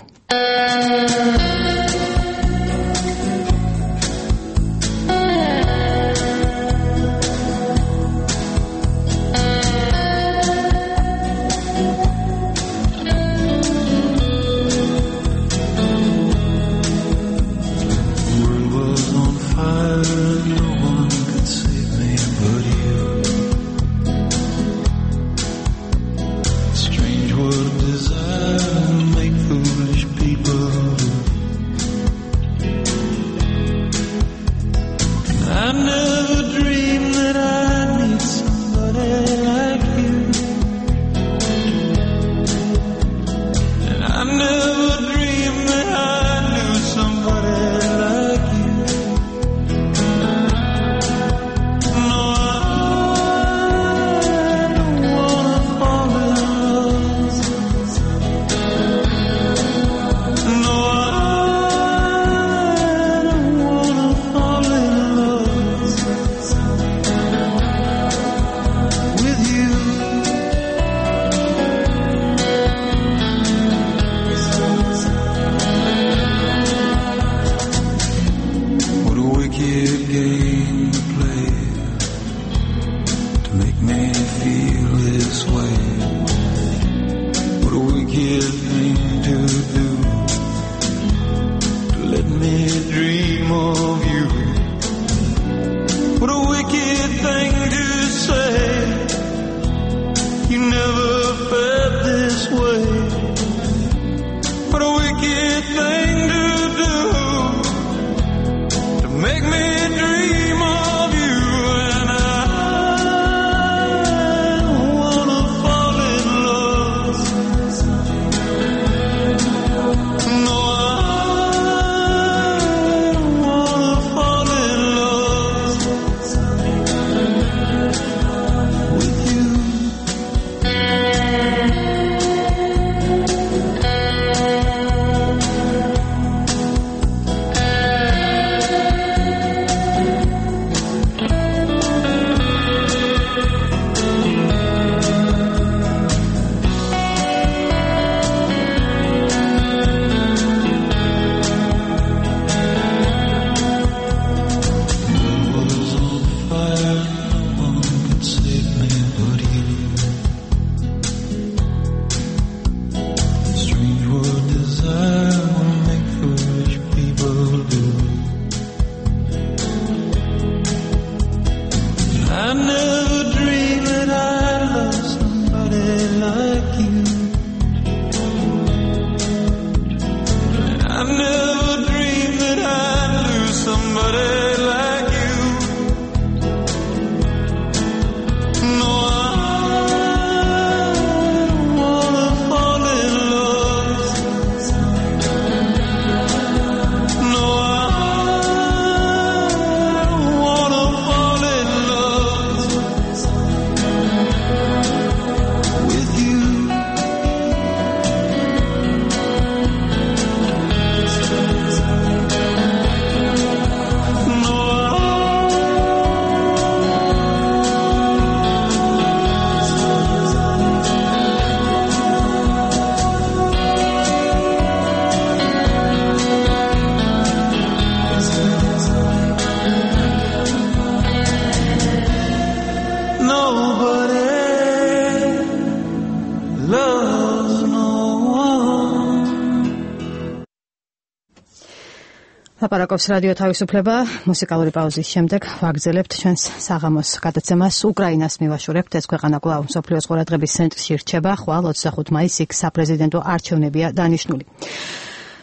ლაპარაკობს რადიო თავისუფლება. მუსიკალური პაუზის შემდეგ ვაგრძელებთ ჩვენს საღამოს გადაცემას. უკრაინას მივაშორებთ. ეს ქვეყანა კვლავ მსოფლიოს ყურადღების ცენტრში რჩება. ხვალ 25 მაისს იქ საპრეზიდენტო არჩევნებია დანიშნული.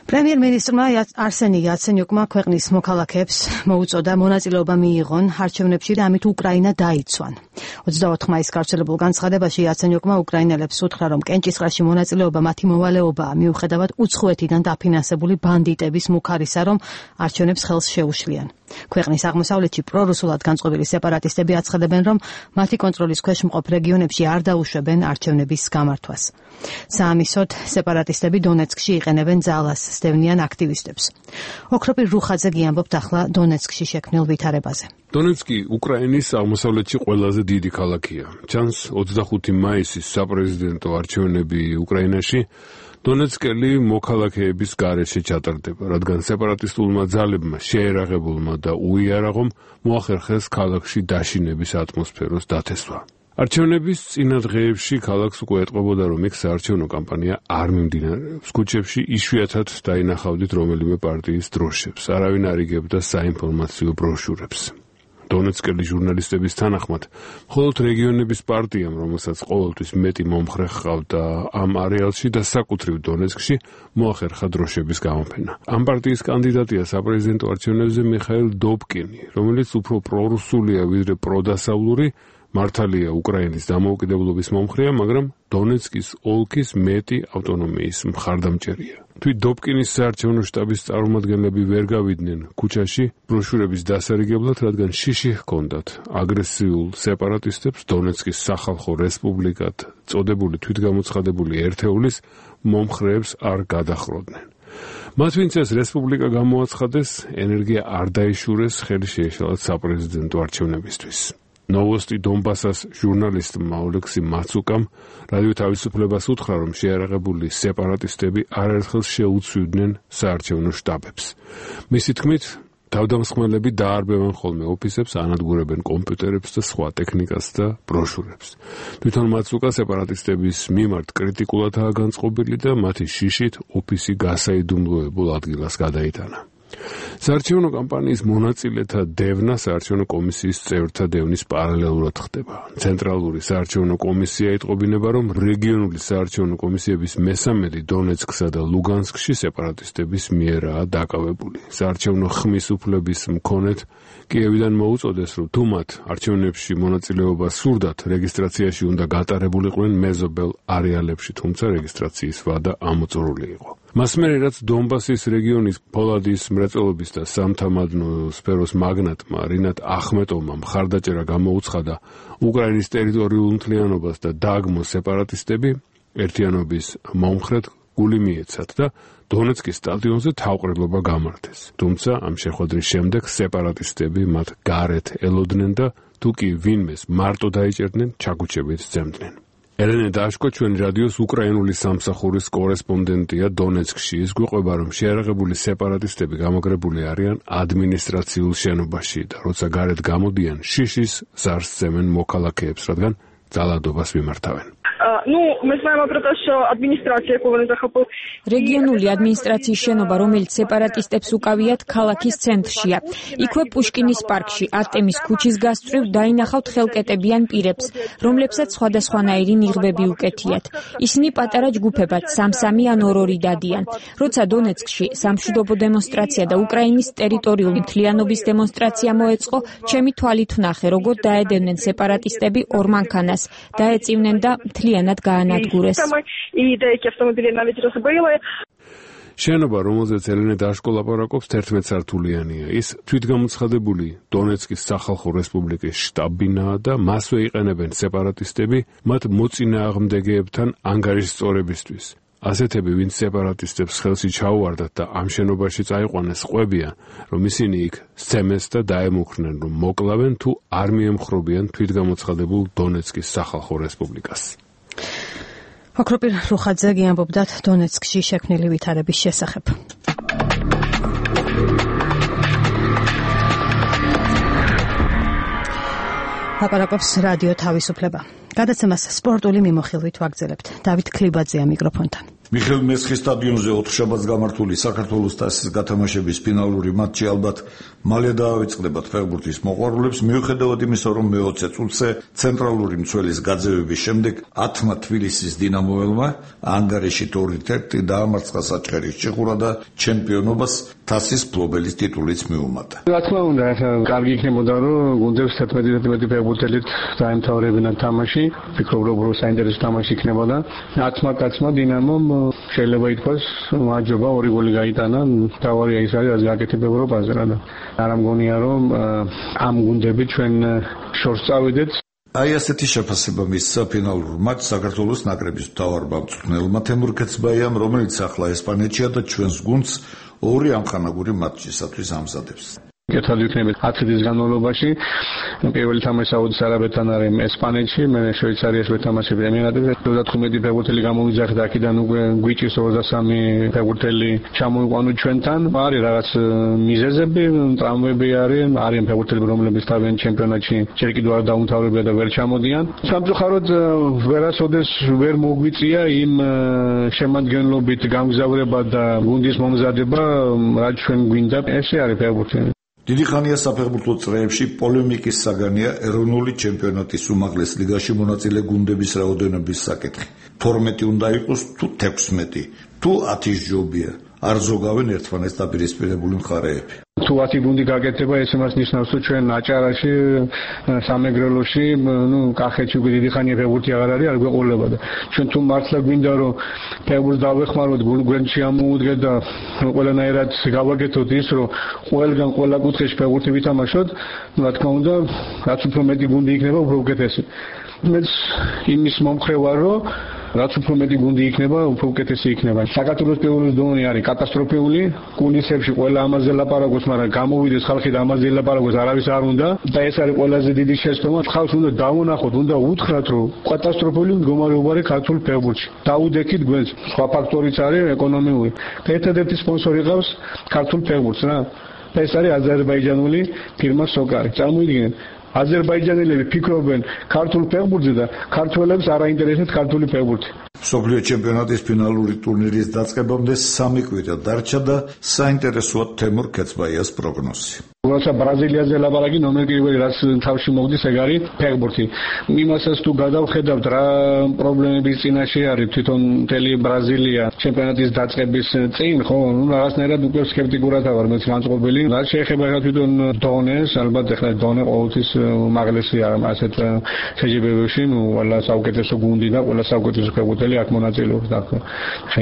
პრემიერ-მინისტრმა არსენი იაცენიუკმა ქვეყნის მოქალაქეებს მოუწოდა მონაწილეობა მიიღონ არჩევნებში და ამით უკრაინა დაიცვან. 24 მაისს გავრცელებულ განცხადებაში იაცენიუკმა უკრაინელებს უთხრა, რომ კენჭისყრაში მონაწილეობა მათი მოვალეობაა, მიუხედავად უცხოეთიდან დაფინანსებული ბანდიტების მუქარისა, რომ არჩევნებს ხელს შეუშლიან. ქვეყნის აღმოსავლეთში პრორუსულად განწყობილი სეპარატისტები აცხადებენ, რომ მათი კონტროლის ქვეშ მყოფ რეგიონებში არ დაუშვებენ არჩევნების გამართვას. საამისოდ, სეპარატისტები დონეცკში იყენებენ ძალას, სტევნიან აქტივისტებს. ოქროპირ რუხაძე გიამბობთ ახლა დონეცკში შექმნილ ვითარებაზე. დონეცკი უკრაინის აღმოსავლეთში ყველაზე დიდი ქალაქია. ჩანს 25 მაისის საპრეზიდენტო არჩევნები უკრაინაში დონეცკელი მოქალაქეების გარეშე ჩატარდება, რადგან სეპარატისტულმა ძალებმა შეერაღებულმა და უიარაღომ მოახერხეს ქალაქში დაშინების ატმოსფეროს დათესვა. არჩევნების წინა დღეებში ქალაქს უკვე ეტყობოდა, რომ იქ საარჩევნო კამპანია არ მიმდინარეობს. ქუჩებში იშვიათად დაინახავდით რომელიმე პარტიის დროშებს, არავინ არ იგებდა საინფორმაციო ბროშურებს. დონეცკელი ჟურნალისტების თანახმად, მხოლოდ რეგიონების პარტიამ, რომელსაც ყოველთვის მეტი მომხრე ჰყავდა ამ არეალში და საკუთრივ დონეცკში, მოახერხა დროშების გამოფენა. ამ პარტიის კანდიდატია საპრეზიდენტო არჩევნებზე მიხაილ დობკინი, რომელიც უფრო პრორუსულია ვიდრე პროდასავლური, მართალია უკრაინის დამოუკიდებლობის მომხრეა, მაგრამ დონეცკის ოლქის მეტი ავტონომიის მხარდამჭერია. თვით დობკინის საარჩევნო შტაბის წარმომადგენლები ვერ გავიდნენ ქუჩაში ბროშურების დასარიგებლად, რადგან შიში ჰქონდათ აგრესიულ სეპარატისტებს დონეცკის სახალხო რესპუბლიკად წოდებული თვითგამოცხადებული ერთეულის მომხრეებს არ გადახროდნენ. მათ ვინც ეს რესპუბლიკა გამოაცხადეს, ენერგია არ დაიშურეს, ხელი შეეშალათ საპრეზიდენტო არჩევნებისთვის. ნოვოსტი დონბასას ჟურნალისტმა ოლექსი მაცუკამ რადიო თავისუფლებას უთხრა, რომ შეარაღებული სეპარატისტები არაერთხელ შეუცვლიდნენ საარჩევნო შტაბებს. მისი თქმით, თავდამსხმელები დაარბევენ ხოლმე ოფისებს, ანადგურებენ კომპიუტერებს და სხვა ტექნიკას და ბროშურებს. თვითონ მაცუკა სეპარატისტების მიმართ კრიტიკულადაა განწყობილი და მათი შიშით ოფისი გასაიდუმლოებულ ადგილას გადაიტანა. საარჩევნო კამპანიის მონაწილეთა დევნა საარჩევნო კომისიის წევრთა დევნის პარალელურად ხდება. ცენტრალური საარჩევნო კომისია იტყობინება, რომ რეგიონული საარჩევნო კომისიების მესამედი დონეცკსა და ლუგანსკში სეპარატისტების მიერაა დაკავებული. საარჩევნო ხმის უფლების მქონეთ კიევიდან მოუწოდეს, რომ თუ მათ არჩევნებში მონაწილეობა სურდათ, რეგისტრაციაში უნდა გატარებულიყვნენ მეზობელ არეალებში, თუმცა რეგისტრაციის ვადა ამოწურული იყო. მას მერე, რაც დონბასის რეგიონის ფოლადის მრეწველობის და სამთამადნო სფეროს მაგნატმა რინატ ახმეტოვმა მხარდაჭერა გამოუცხადა უკრაინის ტერიტორიულ მთლიანობას და დააგმო სეპარატისტები, ერთიანობის მომხრედ გული მიეცათ და დონეცკის სტადიონზე თავყრილობა გამართეს. თუმცა ამ შეხვედრის შემდეგ სეპარატისტები მათ გარეთ ელოდნენ და თუ კი ვინმეს მარტო დაიჭერდნენ, ჩაგუჩებით სცემდნენ. ელენე დაშკო ჩვენი რადიოს უკრაინული სამსახურის კორესპონდენტია დონეცკში. ის გვიყვება, რომ შეარაღებული სეპარატისტები გამაგრებული არიან ადმინისტრაციულ შენობაში და როცა გარეთ გამოდიან, შიშის ზარს სცემენ მოქალაქეებს, რადგან ძალადობას მიმართავენ. Мы знаем про то, что администрация Киева захопила. რეგიონული ადმინისტრაციის შენობა, რომელიც სეპარატისტებს უკავიათ, ქალაქის ცენტრშია. იქვე პუშკინის პარკში, არტემის ქუჩის გასწვრივ დაინახავთ ხელკეტებიან პირებს, რომლებსაც სხვადასხვანაირი ნიღბები უკეთიათ. ისინი პატარა ჯგუფებად, 3-3 ან 2-2 დადიან. როცა დონეცკში სამშვიდობო დემონსტრაცია და უკრაინის ტერიტორიული მთლიანობის დემონსტრაცია მოეწყო, ჩემი თვალით ვნახე, როგორ დაედევნენ სეპარატისტები ორ მანქანას, დაეწივნენ და მთლიანად გაანადგურეს. შენობა, რომელზეც ელენე დაშკო ლაპარაკობს, 11 სართულიანია. ის თვითგამოცხადებული დონეცკის სახალხო რესპუბლიკის შტაბ-ბინაა და მასვე იყენებენ სეპარატისტები მათ მოწინააღმდეგეებთან ანგარიშსწორებისთვის. ასეთები, ვინც სეპარატისტებს ხელში ჩაუვარდათ და ამ შენობაში წაიყვანეს, ყვებიან, რომ ისინი იქ სცემეს და დაემუქრნენ, რომ მოკლავენ თუ არ მიემხრობიან თვითგამოცხადებულ დონეცკის სახალხო რესპუბლიკას. ოქროპირ რუხაძე გიამბობდათ დონეცკში შექმნილი ვითარების შესახებ. ლაპარაკობს რადიო თავისუფლება. გადაცემას სპორტული მიმოხილვით ვაგრძელებთ. დავით ქლიბაძეა მიკროფონთან. მიხეილ მესხის სტადიონზე ოთხშაბათს გამართული საქართველოს თასის გათამაშების ფინალური მატჩი ალბათ მალე დაავიწყდებათ ფეხბურთის მოყვარულებს, მიუხედავად იმისა, რომ მე-20 წუთზე ცენტრალური მცველის გაძევების შემდეგ 10-მა თბილისის დინამოელმა ანგარიში 2-1 დაამარცხა საჩხერის ჭიხურა და ჩემპიონობას თასის მფლობელის ტიტულიც მიუმატა. რა თქმა უნდა, კარგი იქნებოდა, რომ გუნდებს 11 ფეხბურთელით დაემთავრებინა თამაში, ვფიქრობ, რომ საინტერესო თამაში იქნებოდა. 10-მა კაცმა დინამომ შეიძლება ითქვას, მაჯობა 2 გოლი გაიტანა, თავარია ის არის, რაც გააკეთებ ევროპაზე რა და არ მგონია, რომ ამ გუნდები ჩვენ შორს წავიდეთ. აი ასეთი შეფასება მისცა ფინალურ მატჩს საქართველოს ნაკრების მთავარ მწვრთნელმა თემურ ქეცბაიამ, რომელიც ახლა ესპანეთშია და ჩვენს გუნდს 2 ამხანაგური მატჩისათვის ამზადებს. კეთილ იქნებით 10 წლის განმავლობაში. პირველი თამაში საუდის არაბეთთან არის ესპანეთში, მე შვეიცარიაში ვეთამაშები ემირატებზე. 35 ფეხბურთელი გამოვიძახეთ აქედან უკვე გვიჭირს 23 ფეხბურთელი ჩამოიყვანო ჩვენთან. არის რაღაც მიზეზები, ტრავმები არიან ფეხბურთელები, რომლებიც თავიანთ ჩემპიონატში ჯერ კიდევ არ დაუმთავრებია და ვერ ჩამოდიან. სამწუხაროდ ვერასოდეს ვერ მოგვიწია იმ შემადგენლობით გამგზავრება და გუნდის მომზადება, რაც ჩვენ გვინდა. ესე არის ფეხბურთი. დიდი ხანია საფეხბურთო წრეებში პოლემიკის საგანია ეროვნული ჩემპიონატის უმაღლეს ლიგაში მონაწილე გუნდების რაოდენობის საკითხი. 12 უნდა იყოს თუ 16, თუ 10 ჯობია. არ ზოგავენ ერთმანეთს დაპირისპირებული მხარეები. თუ 10 გუნდი გაკეთება, ეს იმას ნიშნავს, რომ ჩვენ აჭარაში, სამეგრელოში, კახეთში უკვე დიდი ხანია ფეხბურთი აღარ არის, არ გვეყოლება და ჩვენ თუ მართლა გვინდა რომ ფეხბურთს დავეხმაროთ, გვერდში ამოუდგეთ და ყველანაირად გავაკეთოთ ის, რომ ყველგან ყველა კუთხეში ფეხბურთი ვითამაშოთ, რა თქმა უნდა, რაც უფრო მეტი გუნდი იქნება, უფრო უკეთესი. მეც იმის მომხრე ვარ, რომ რაც უფრო მეტი გუნდი იქნება, უფრო უკეთესი იქნება. საქართველოს პირველი დონე არის კატასტროფული, კულისებში ყველა ამაზე ლაპარაკობს, მაგრამ გამოვიდეს ხალხი და ამაზე ლაპარაკობს, არავის არ უნდა და ეს არის ყველაზე დიდი შეცდომა. ხალხს უნდა დავუნახოთ, უნდა უთხრათ, რომ კატასტროფული მდგომარეობა არის ქართულ ფეხბურთში. დაუდექით გვენს. სხვა ფაქტორიც არის ეკონომიური. ერთადერთი სპონსორი ყავს ქართულ ფეხბურთს რა. ეს არის აზერბაიჯანული ფირმა სოკარი. წარმოიდგინეთ, აზერბაიჯანელები ფიქრობენ ქართულ ფეხბურთზე და ქართველებს არ აინტერესებს ქართული ფეხბურთი. მსოფლიო ჩემპიონატის ფინალური ტურნირის დაწყებამდე 3 კვირა დარჩა და საინტერესოა თემურ ქეცბაიას პროგნოზი. როცა ბრაზილიაზე ლაპარაკი ნომერ პირველი რაც თავში მოგდის ეგ არის ფეხბურთი. იმასაც თუ გადავხედავთ რა პრობლემების წინაშე არის თვითონ მთელი ბრაზილია ჩემპიონატის დაწყების წინ, ხო, რაღაცნაირად უკვე სკეპტიკურად ვარ მეც განწყობილი. რაც შეეხება თვითონ დონეს, ალბათ ახლა დონე ყოველთვის უმაღლესია ასეთ შეჯიბრებებში, ყველა საუკეთესო გუნდი და ყველა საუკეთესო ფეხბურთელი აქ მონაწილეობს და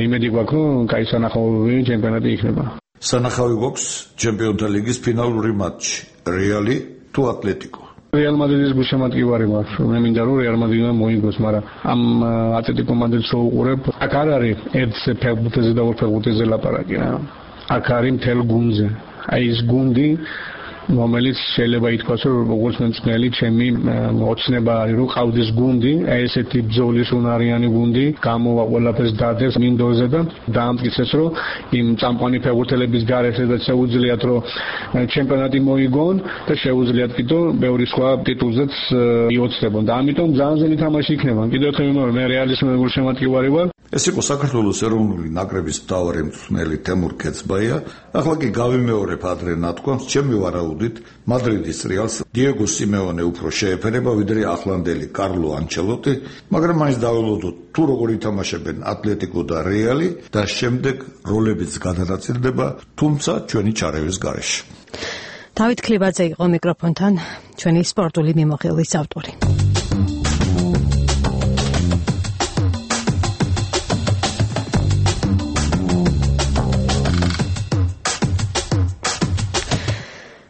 იმედი გვაქვს, რომ კაი სანახაობები ჩემპიონატი იქნება. სანახავი გვაქვს ჩემპიონთა ლიგის ფინალური მატჩი რეალი თუ ატლეტიკო. რეალ მადრიდის გულშემატკივარი მაქვს. მე მინდა რომ რეალ მადრიდმა მოიგოს, მაგრამ ამ ატლეტიკო მადრიდს რო უყურებ, აქ არ არის ერთ ფეხბურთზე და ორ ფეხბურთზე ლაპარაკი რა. აქ არის მთელ გუნდზე. აი ეს გუნდი რომელიც შეიძლება ითქვას, რომ როგორც მემწნელი ჩემი ოცნება არის, რომ ყავდეს გუნდი, ესეთი ბრძოლის უნარიანი გუნდი, გამოვა ყველაფერს დადებს მინდორზე და დაამტკიცეს, რომ იმ წამყვანი ფეხბურთელების გარეშე და შეუძლიათ, რომ ჩემპიონატი მოიგონ და შეუძლიათ კიდევ ბევრი სხვა ტიტულზეც იოცნებონ. და ამიტომ ძალიან ძნელი თამაში იქნება. კიდევ ერთხელ ვიმეორებ, მე რეალის გულშემატკივარი ვარ. ეს იყო საქართველოს ეროვნული ნაკრების მთავარი მწვრთნელი თემურ ქეცბაია. ახლა კი გავიმეორებ ადრე ნათქვამს, ჩემი ვარაუდით მადრიდის რეალს დიეგო სიმეონე უფრო შეეფერება ვიდრე ახლანდელი კარლო ანჩელოტი, მაგრამ მაინც დაველოდოთ თუ როგორ ითამაშებენ ატლეტიკო და რეალი და შემდეგ როლებიც გადანაწილდება, თუმცა ჩვენი ჩარევის გარეშე. დავით ქლიბაძე იყო მიკროფონთან, ჩვენი სპორტული მიმოხილვის ავტორი.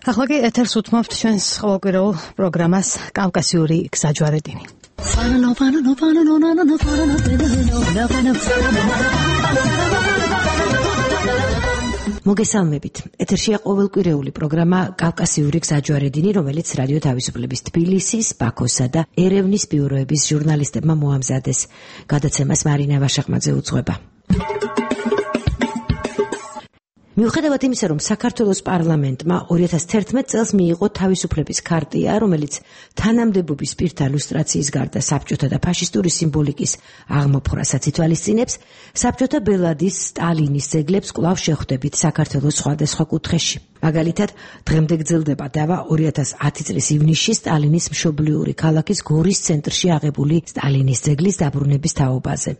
ახლა კი ეთერს უთმობთ ჩვენს ყოველკვირეულ პროგრამას კავკასიური გზაჯვარედინი. მოგესალმებით. ეთერშია ყოველკვირეული პროგრამა კავკასიური გზაჯვარედინი, რომელიც რადიო თავისუფლების თბილისის, ბაქოსა და ერევნის ბიუროების ჟურნალისტებმა მოამზადეს. გადაცემას მარინა ვაშახმაძე უძღვება. მიუხედავად იმისა, რომ საქართველოს პარლამენტმა 2011 წელს მიიღო თავისუფლების ქარტია, რომელიც თანამდებობის პირთა ლუსტრაციის გარდა საბჭოთა და ფაშისტური სიმბოლიკის აღმოფხვრასაც ითვალისწინებს, საბჭოთა ბელადის სტალინის ძეგლებს კვლავ შეხვდებით საქართველოს სხვადასხვა კუთხეში. მაგალითად, დღემდე გრძელდება დავა 2010 წლის ივნისში სტალინის მშობლიური ქალაქის გორის ცენტრში აღებული სტალინის ძეგლის დაბრუნების თაობაზე.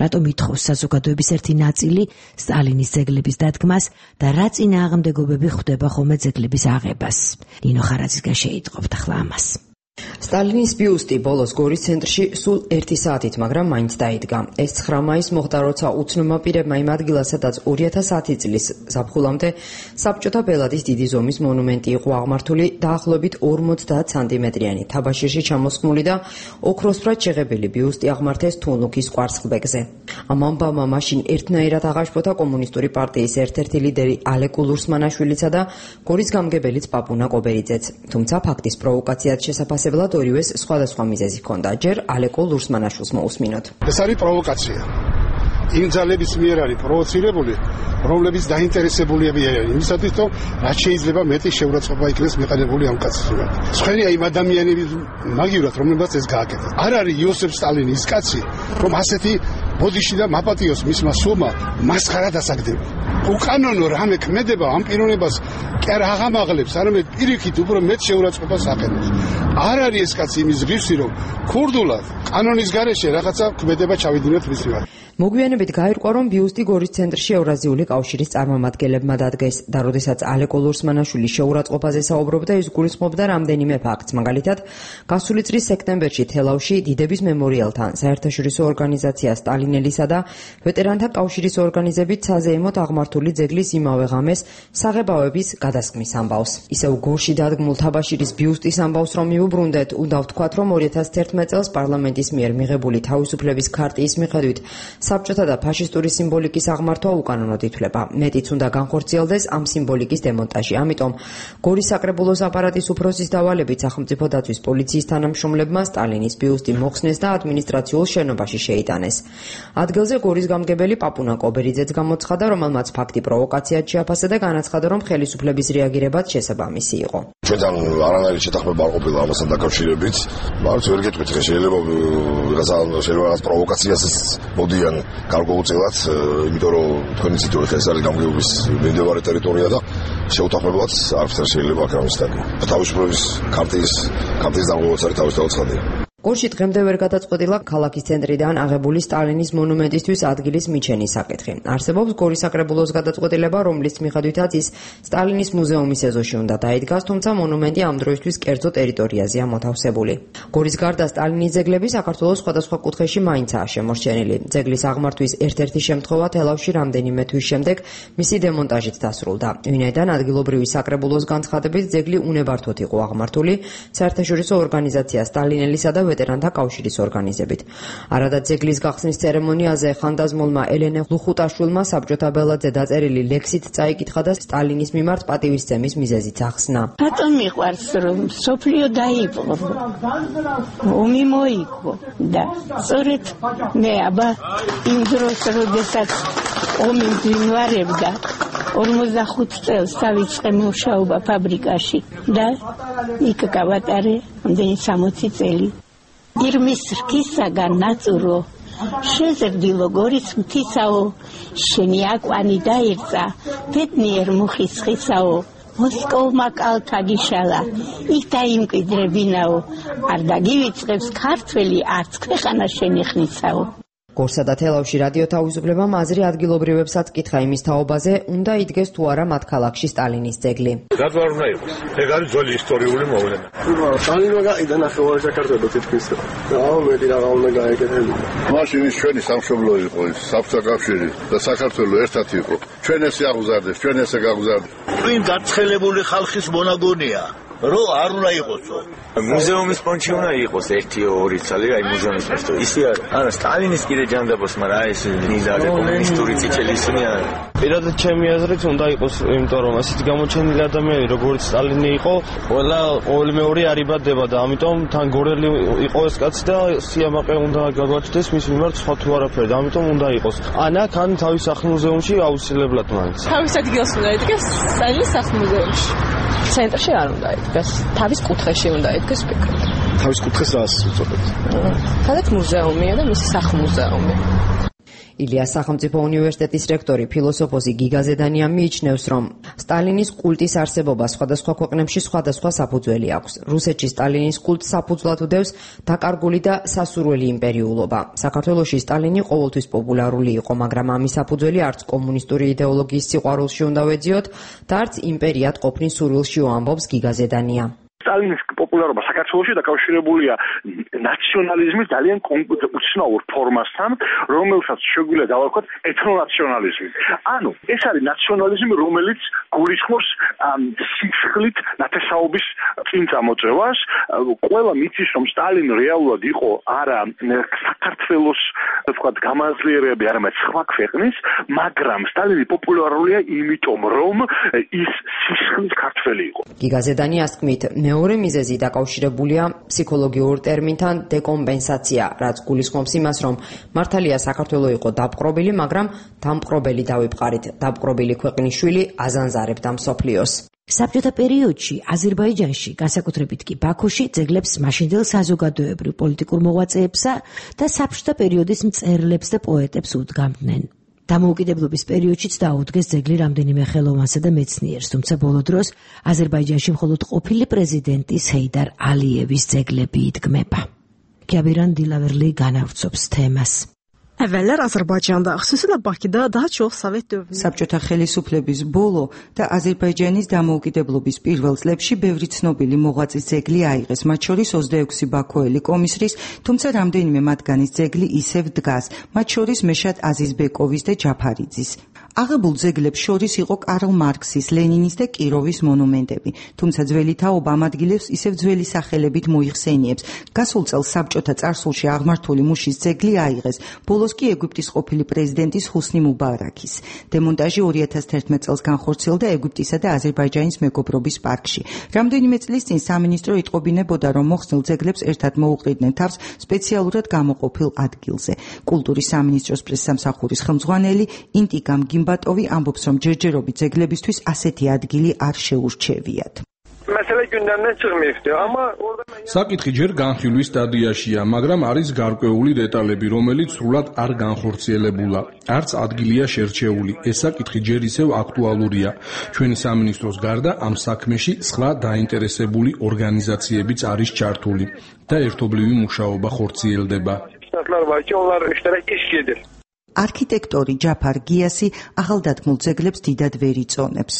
რატომ ითხოვს საზოგადოების ერთი ნაწილი სტალინის ძეგლების დადგმას და რა წინააღმდეგობები ხვდება ხოლმე ძეგლების აღებას? ნინო ხარაძისგან შეიტყობთ ახლა ამას. სტალინის ბიუსტი ბოლოს გორის ცენტრში სულ 1 საათით, მაგრამ მაინც დაიდგა. ეს 9 მაისს მოხდა, როცა უცნობმა პირებმა იმ ადგილას, სადაც 2010 წლის ზაფხულამდე საბჭოთა ბელადის დიდი ზომის მონუმენტი იყო აღმართული, დაახლოებით 50 სანტიმეტრიანი თაბაშირში ჩამოსხმული და ოქროსფრად შეღებილი ბიუსტი აღმართეს თუნუქის კვარცხლბეკზე. ამ ამბავმა მაშინ ერთნაირად აღაშფოთა კომუნისტური პარტიის ერთ-ერთი ლიდერი ალეკო ლურსმანაშვილიცა და გორის გამგებელიც პაპუნა კობერიძეც. თუმცა ფაქტის პროვოკაციად შესაფასებლად ორივეს სხვადასხვა მიზეზი ჰქონდა. ჯერ ალეკო ლურსმანაშვილს მოусმინოთ. ეს არის პროვოკაცია. იმ ძალების მიერ არის პროვოცირებული, რომლებიც დაინტერესებულები არიან იმისათვის, რომ რაც შეიძლება მეტი შეურაცხყოფა იქნეს მეყენებული ამ კაცისგან. სხვენი აი ადამიანების მაგივრად, რომლებსაც ეს გააკეთეს. არ არის იოსებ სტალინი ის კაცი, რომ ასეთი ბოდიში და მაპატიოს მისმა სულმა მასხარა დასაგდება. უკანონო რამე ქმედება ამ პიროვნებას კი არ აღამაღლებს, არამედ პირიქით უფრო მეტ შეურაცხყოფას აყენებს. არ არის ეს კაცი იმის ღირსი, რომ ქურდულად კანონის გარეშე რაღაცა ქმედება ჩავიდინოთ მის მიმართ. მოგვიანებით გაირკვა, რომ ბიუსტი გორის ცენტრში ევრაზიული კავშირის წარმომადგენლებმა დადგეს და როდესაც ალეკო ლურსმანაშვილი შეურაცხყოფაზე საუბრობდა, ის გულისხმობდა რამდენიმე ფაქტს. მაგალითად, გასული წლის სექტემბერში თელავში დიდების მემორიალთან საერთაშორისო ორგანიზაცია სტალინელისა და ვეტერანთა კავშირის ორგანიზებით საზეიმოდ აღმართული ძეგლის იმავე ღამეს საღებავების გადასხმის ამბავს. ისევ გორში დადგმულ თაბაშირის ბიუსტის ამბავს რომ მიუბრუნდეთ, უნდა ვთქვათ, რომ 2011 წელს პარლამენტის მიერ მიღებული თავისუფლების ქარტიის მიხედვით საბჭოთა და ფაშისტური სიმბოლიკის აღმართვა უკანონოდ ითვლება. მეტიც უნდა განხორციელდეს ამ სიმბოლიკის დემონტაჟი. ამიტომ გორის საკრებულოს აპარატის უფროსის დავალებით სახელმწიფო დაცვის პოლიციის თანამშრომლებმა სტალინის ბიუსტი მოხსნეს და ადმინისტრაციულ შენობაში შეიტანეს. ადგილზე გორის გამგებელი პაპუნა კობერიძეც გამოცხადა, რომელმაც ფაქტი პროვოკაციად შეაფასა და განაცხადა, რომ ხელისუფლების რეაგირებაც შესაბამისი იყო. ჩვენთან არანაირი შეთანხმება არ ყოფილა ამასთან დაკავშირებით. მაგრამ ვერ გეტყვით, შეიძლება რაღაც პროვოკაციას მოდიან გარკვეულწილად, იმიტომ რომ თქვენი ციტირეთ ეს არის გამგეობის მიმდებარე ტერიტორია და შეუთანხმებლად არაფერ შეიძლება აქ რამის დაგვა. თავისუფლების ქარტიის დაღუპვაც არის თავისთავად ცხადია. გორში დღემდე ვერ გადაწყვეტილა ქალაქის ცენტრიდან აღებული სტალინის მონუმენტისთვის ადგილის მიჩენის საკითხი. არსებობს გორის საკრებულოს გადაწყვეტილება, რომლის მიხედვითაც ის სტალინის მუზეუმის ეზოში უნდა დაიდგას, თუმცა მონუმენტი ამ დროისთვის კერძო ტერიტორიაზეა მოთავსებული. გორის გარდა სტალინის ძეგლები საქართველოს სხვადასხვა კუთხეში მაინცაა შემორჩენილი. ძეგლის აღმართვის ერთ-ერთი შემთხვევა თელავში რამდენიმე თვის შემდეგ მისი დემონტაჟით დასრულდა. ვინაიდან ადგილობრივი საკრებულოს განცხადებით ძეგლი უნებართვოდ იყო აღმართული საერთაშორისო ორგანიზაცია სტალინელისა და ვეტერანთა კავშირის ორგანიზებით. არადა ძეგლის გახსნის ცერემონიაზე ხანდაზმულმა ელენე ლუხუტაშვილმა საბჭოთა ბელადზე დაწერილი ლექსით წაიკითხა და სტალინის მიმართ პატივისცემის მიზეზიც ახსნა. რატომ მიყვარს რომ სოფლიო დაიპყრო, ომი მოიგო და სწორედ მე აბა იმ დროს როდესაც ომი მძინვარებდა 45 წელს დავიწყე მუშაობა ფაბრიკაში და იქ გავატარე ამდენი 60 წელი. ირმის რქისაგან ნაწურო შეზრდილო გორის მთისაო, შენი აკვანი დაერწა ბედნიერ მუხის ხისაო, მოსკოვმა კალთა გიშალა, იქ დაიმკვიდრებინაო, არ დაგივიწყებს ქართველი არც ქვეყანა შენი ხნისაო. გორსა და თელავში რადიო თავისუფლებამ აზრი ადგილობრივებსაც კითხა იმის თაობაზე, უნდა იდგეს თუ არა მათ ქალაქში სტალინის ძეგლი. რატო არ უნდა იყოს? ეგ არის ძველი ისტორიული მოვლენა. სტალინმა გაიყიდა ნახევარი საქართველო თითქმის. აუ მეტი რაღა უნდა გაეკეთებინა. მაშინ ის ჩვენი სამშობლო იყო, საბჭოთა კავშირი და საქართველო ერთად იყო. ჩვენ ესე აღუზარდეს, ჩვენ ესე გაგუზარდეს. ვინ გაცხელებული ხალხის მონაგონია? რო არ უნდა იყოსო. მუზეუმის ფონდში უნდა იყოს 1-2 წელი, აი მუზეუმის ფონდში. ისე არა. არა, სტალინის კიდე ჯანდაბოს, მაგრამ აი ეს ნიზარი კომუნისტური წითელი ისინი არა. პირადად ჩემი აზრით უნდა იყოს, იმიტომ რომ ასეთი გამოჩენილი ადამიანი, როგორც სტალინი იყო, ყოველი მეორე არ იბადება და ამიტომ თან გორელი იყო ეს კაცი და სიამაყე უნდა გაგვაჩნდეს მის მიმართ სხვა თუ არაფერი, ამიტომ უნდა იყოს. ანა ქან თავის სახლ-მუზეუმში აუცილებლად მაინც. თავის ადგილს უნდა იდგეს სტალინის სახლ-მუზეუმში. ცენტრში არ უნდა იდგეს, თავის კუთხეში უნდა იდგეს ვფიქრობ. თავის კუთხეს რას უწოდებს? სადაც მუზეუმია და მისი სახლ-მუზეუმი. ილიას სახელმწიფო უნივერსიტეტის რექტორი ფილოსოფოსი გიგა ზედანია მიიჩნევს, რომ სტალინის კულტის არსებობა სხვადასხვა ქვეყნებში სხვადასხვა საფუძველი აქვს. რუსეთში სტალინის კულტს საფუძვლად უდევს დაკარგული და სასურველი იმპერიულობა. საქართველოში სტალინი ყოველთვის პოპულარული იყო, მაგრამ ამის საფუძველი არც კომუნისტური იდეოლოგიის სიყვარულში უნდა ვეძიოთ და არც იმპერიად ყოფნის სურვილში, ამბობს გიგა ზედანია. სტალინის პოპულარობა საქართველოში დაკავშირებულია ნაციონალიზმის ძალიან უცნაურ ფორმასთან, რომელსაც შეგვიძლია დავარქვათ ეთნონაციონალიზმი. ანუ ეს არის ნაციონალიზმი, რომელიც გულისხმობს სისხლით ნათესაობის წინ წამოწევას. ყველა მითის, რომ სტალინი რეალურად იყო არა საქართველოს თქვათ გამაძლიერებელი, არამედ სხვა ქვეყნის, მაგრამ სტალინი პოპულარულია იმიტომ, რომ ის სისხლის ქართველი იყო. გიგა ზედანიას თქმით, მეორე მიზეზი დაკავშირებულია ფსიქოლოგიურ ტერმინთან დეკომპენსაცია, რაც გულისხმობს იმას, რომ მართალია საქართველო იყო დაპყრობილი, მაგრამ დამპყრობელი დავიფყარით, დაპყრობილი ქვეყნის შვილი აზანზარებდა მსოფლიოს. საბჭოთა პერიოდში აზერბაიჯანში, განსაკუთრებით კი ბაქოში, ძეგლებს მაშინდელ საზოგადოებრივ პოლიტიკურ მოღვაწეებსა და საბჭოთა პერიოდის მწერლებს და პოეტებს უდგამდნენ. დამოუკიდებლობის პერიოდშიც დაუდგეს ძეგლი რამდენიმე ხელოვანსა და მეცნიერს, თუმცა ბოლო დროს აზერბაიჯანში მხოლოდ ყოფილი პრეზიდენტის ჰეიდარ ალიევის ძეგლები იდგმება. Kəbiran Dilaverli განავრცობს თემას. Əvvəllər Azərbaycanda, xüsusilə Bakıda daha çox Sovet dövründə საბჭოთა ხელისუფლების ბოლო და აზერბაიჯანის დამოუკიდებლობის პირველ წლებში ბევრი ცნობილი მოღვაწის ძეგლი აიღეს, მათ შორის 26 ბაქოელი კომისრის, თუმცა რამდენიმე მათგანის ძეგლი ისევ დგას, მათ შორის მეშად აზიზბეკოვის და ჯაფარიძის. აღებულ ძეგლებს შორის იყო კარლ მარქსის, ლენინის და კიროვის მონუმენტები, თუმცა ძველი თაობა ამ ადგილებს ისევ ძველი სახელებით მოიხსენიებს. გასულ წელს საბჭოთა წარსულში აღმართული მუშის ძეგლი აიღეს, ბოლოს კი ეგვიპტის ყოფილი პრეზიდენტის ჰუსნი მუბარაქის. დემონტაჟი 2011 წელს განხორციელდა ეგვიპტისა და აზერბაიჯანის მეგობრობის პარკში. რამდენიმე წლის წინ სამინისტრო იტყობინებოდა, რომ მოხსნილ ძეგლებს ერთად მოუყრიდნენ თავს სპეციალურად გამოყოფილ ადგილზე. კულტურის სამინისტროს პრესსამსახურის ხელმძღვანელი ინტიკამ ბატოვი ამბობს, რომ ჯერჯერობით ძეგლებისთვის ასეთი ადგილი არ შეურჩევიათ. Məsələ gündəmdən çıxmayıbdı, amma საკითხი ჯერ განხილვის სტადიაშია, მაგრამ არის გარკვეული დეტალები, რომელიც სრულად არ განხორციელებულა. არც ადგილია შერჩეული. ეს საკითხი ჯერ ისევ აქტუალურია. ჩვენი სამინისტროს გარდა ამ საქმეში სხვა დაინტერესებული ორგანიზაციებიც არის ჩართული და ერთობლივი მუშაობა ხორციელდება. არქიტექტორი ჯაფარ გიასი ახალდადგმულ ძეგლებს დიდად ვერ იწონებს.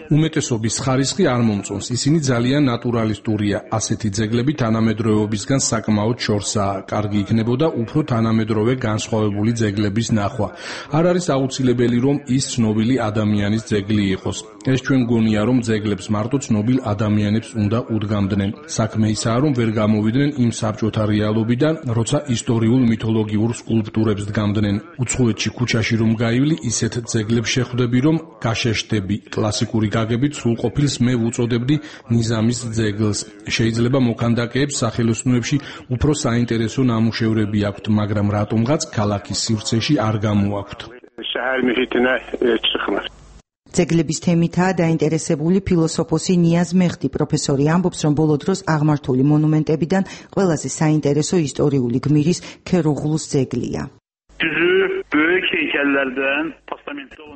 უმეტესობის ხარისხი არ მომწონს, ისინი ძალიან ნატურალისტურია. ასეთი ძეგლები თანამედროვეობისგან საკმაოდ შორსაა. კარგი იქნებოდა უფრო თანამედროვე განსხვავებული ძეგლების ნახვა. არ არის აუცილებელი, რომ ის ცნობილი ადამიანის ძეგლი იყოს. ეს ჩვენ გონია, რომ ძეგლებს მარტო ცნობილ ადამიანებს უნდა უდგამდნენ. საქმე ისაა, რომ ვერ გამოვიდნენ იმ საბჭოთა რეალობიდან, როცა ისტორიულ მითოლოგიურ სკულპტურებს დგამდნენ. უცხოეთში ქუჩაში რომ გაივლი, ისეთ ძეგლებს შეხვდები, რომ გაშეშდები. კლასიკური გაგებით სრულყოფილს მე ვუწოდებდი ნიზამის ძეგლს. შეიძლება მოქანდაკეებს სახელოსნოებში უფრო საინტერესო ნამუშევრები აქვთ, მაგრამ რატომღაც ქალაქის სივრცეში არ გამოაქვთ. ძეგლების თემითაა დაინტერესებული ფილოსოფოსი ნიაზ მეღდი. პროფესორი ამბობს, რომ ბოლო დროს აღმართული მონუმენტებიდან ყველაზე საინტერესო ისტორიული გმირის ქეროღლუს ძეგლია.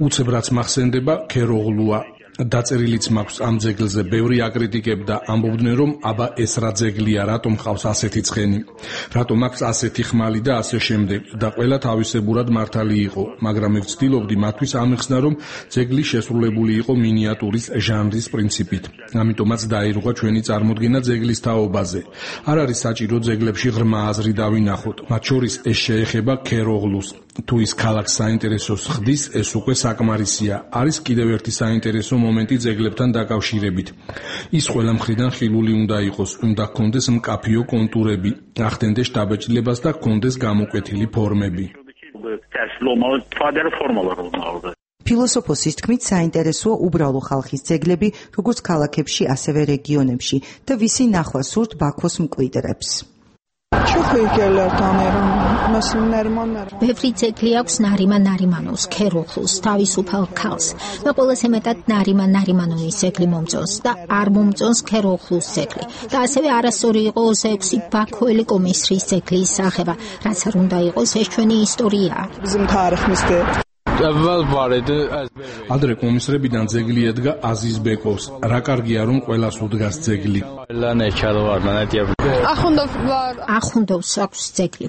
უცებ რაც მახსენდება ქეროღლუა. დაწერილიც მაქვს ამ ძეგლზე. ბევრი აკრიტიკებდა, ამბობდნენ, რომ აბა ეს რა ძეგლია, რატომ ხავს ასეთი ცხენი, რატომ აქვს ასეთი ხმალი და ასე შემდეგ. და ყველა თავისებურად მართალი იყო, მაგრამ მე ვცდილობდი მათთვის ამეხსნა, რომ ძეგლი შესრულებული იყო მინიატურის ჟანრის პრინციპით. ამიტომაც დაირღვა ჩვენი წარმოდგენა ძეგლის თაობაზე. არ არის საჭირო ძეგლებში ღრმა აზრი დავინახოთ, მათ შორის ეს შეეხება ქეროღლუს. თუ ის ქალაქს საინტერესოს ხდის, ეს უკვე საკმარისია. არის კიდევ ერთი საინტერესო მომენტი ძეგლებთან დაკავშირებით. ის ყველა მხრიდან ხილული უნდა იყოს, უნდა ჰქონდეს მკაფიო კონტურები, ახდენდეს შთაბეჭდილებას და ჰქონდეს გამოკვეთილი ფორმები. ფილოსოფოსის თქმით, საინტერესოა უბრალო ხალხის ძეგლები, როგორც ქალაქებში, ასევე რეგიონებში და ვისი ნახვა სურთ ბაქოს მკვიდრებს. ბევრი ძეგლი აქვს ნარიმან-ნარიმანოვს, ქერუხლუს, თავისუფალ ქალს და ყველაზე მეტად ნარიმან-ნარიმანოვის ძეგლი მომწონს და არ მომწონს ქერუხლუს ძეგლი და ასევე არასწორი იყო 26 ბაქოელი კომისრის ძეგლის სახება, რაც არ უნდა იყოს, ეს ჩვენი ისტორიაა. ადრე კომისრებიდან ძეგლი ედგა აზიზ ბეკოვს. რა კარგია რომ ყველას უდგას ძეგლი. ახუნდოვს აქვს ძეგლი.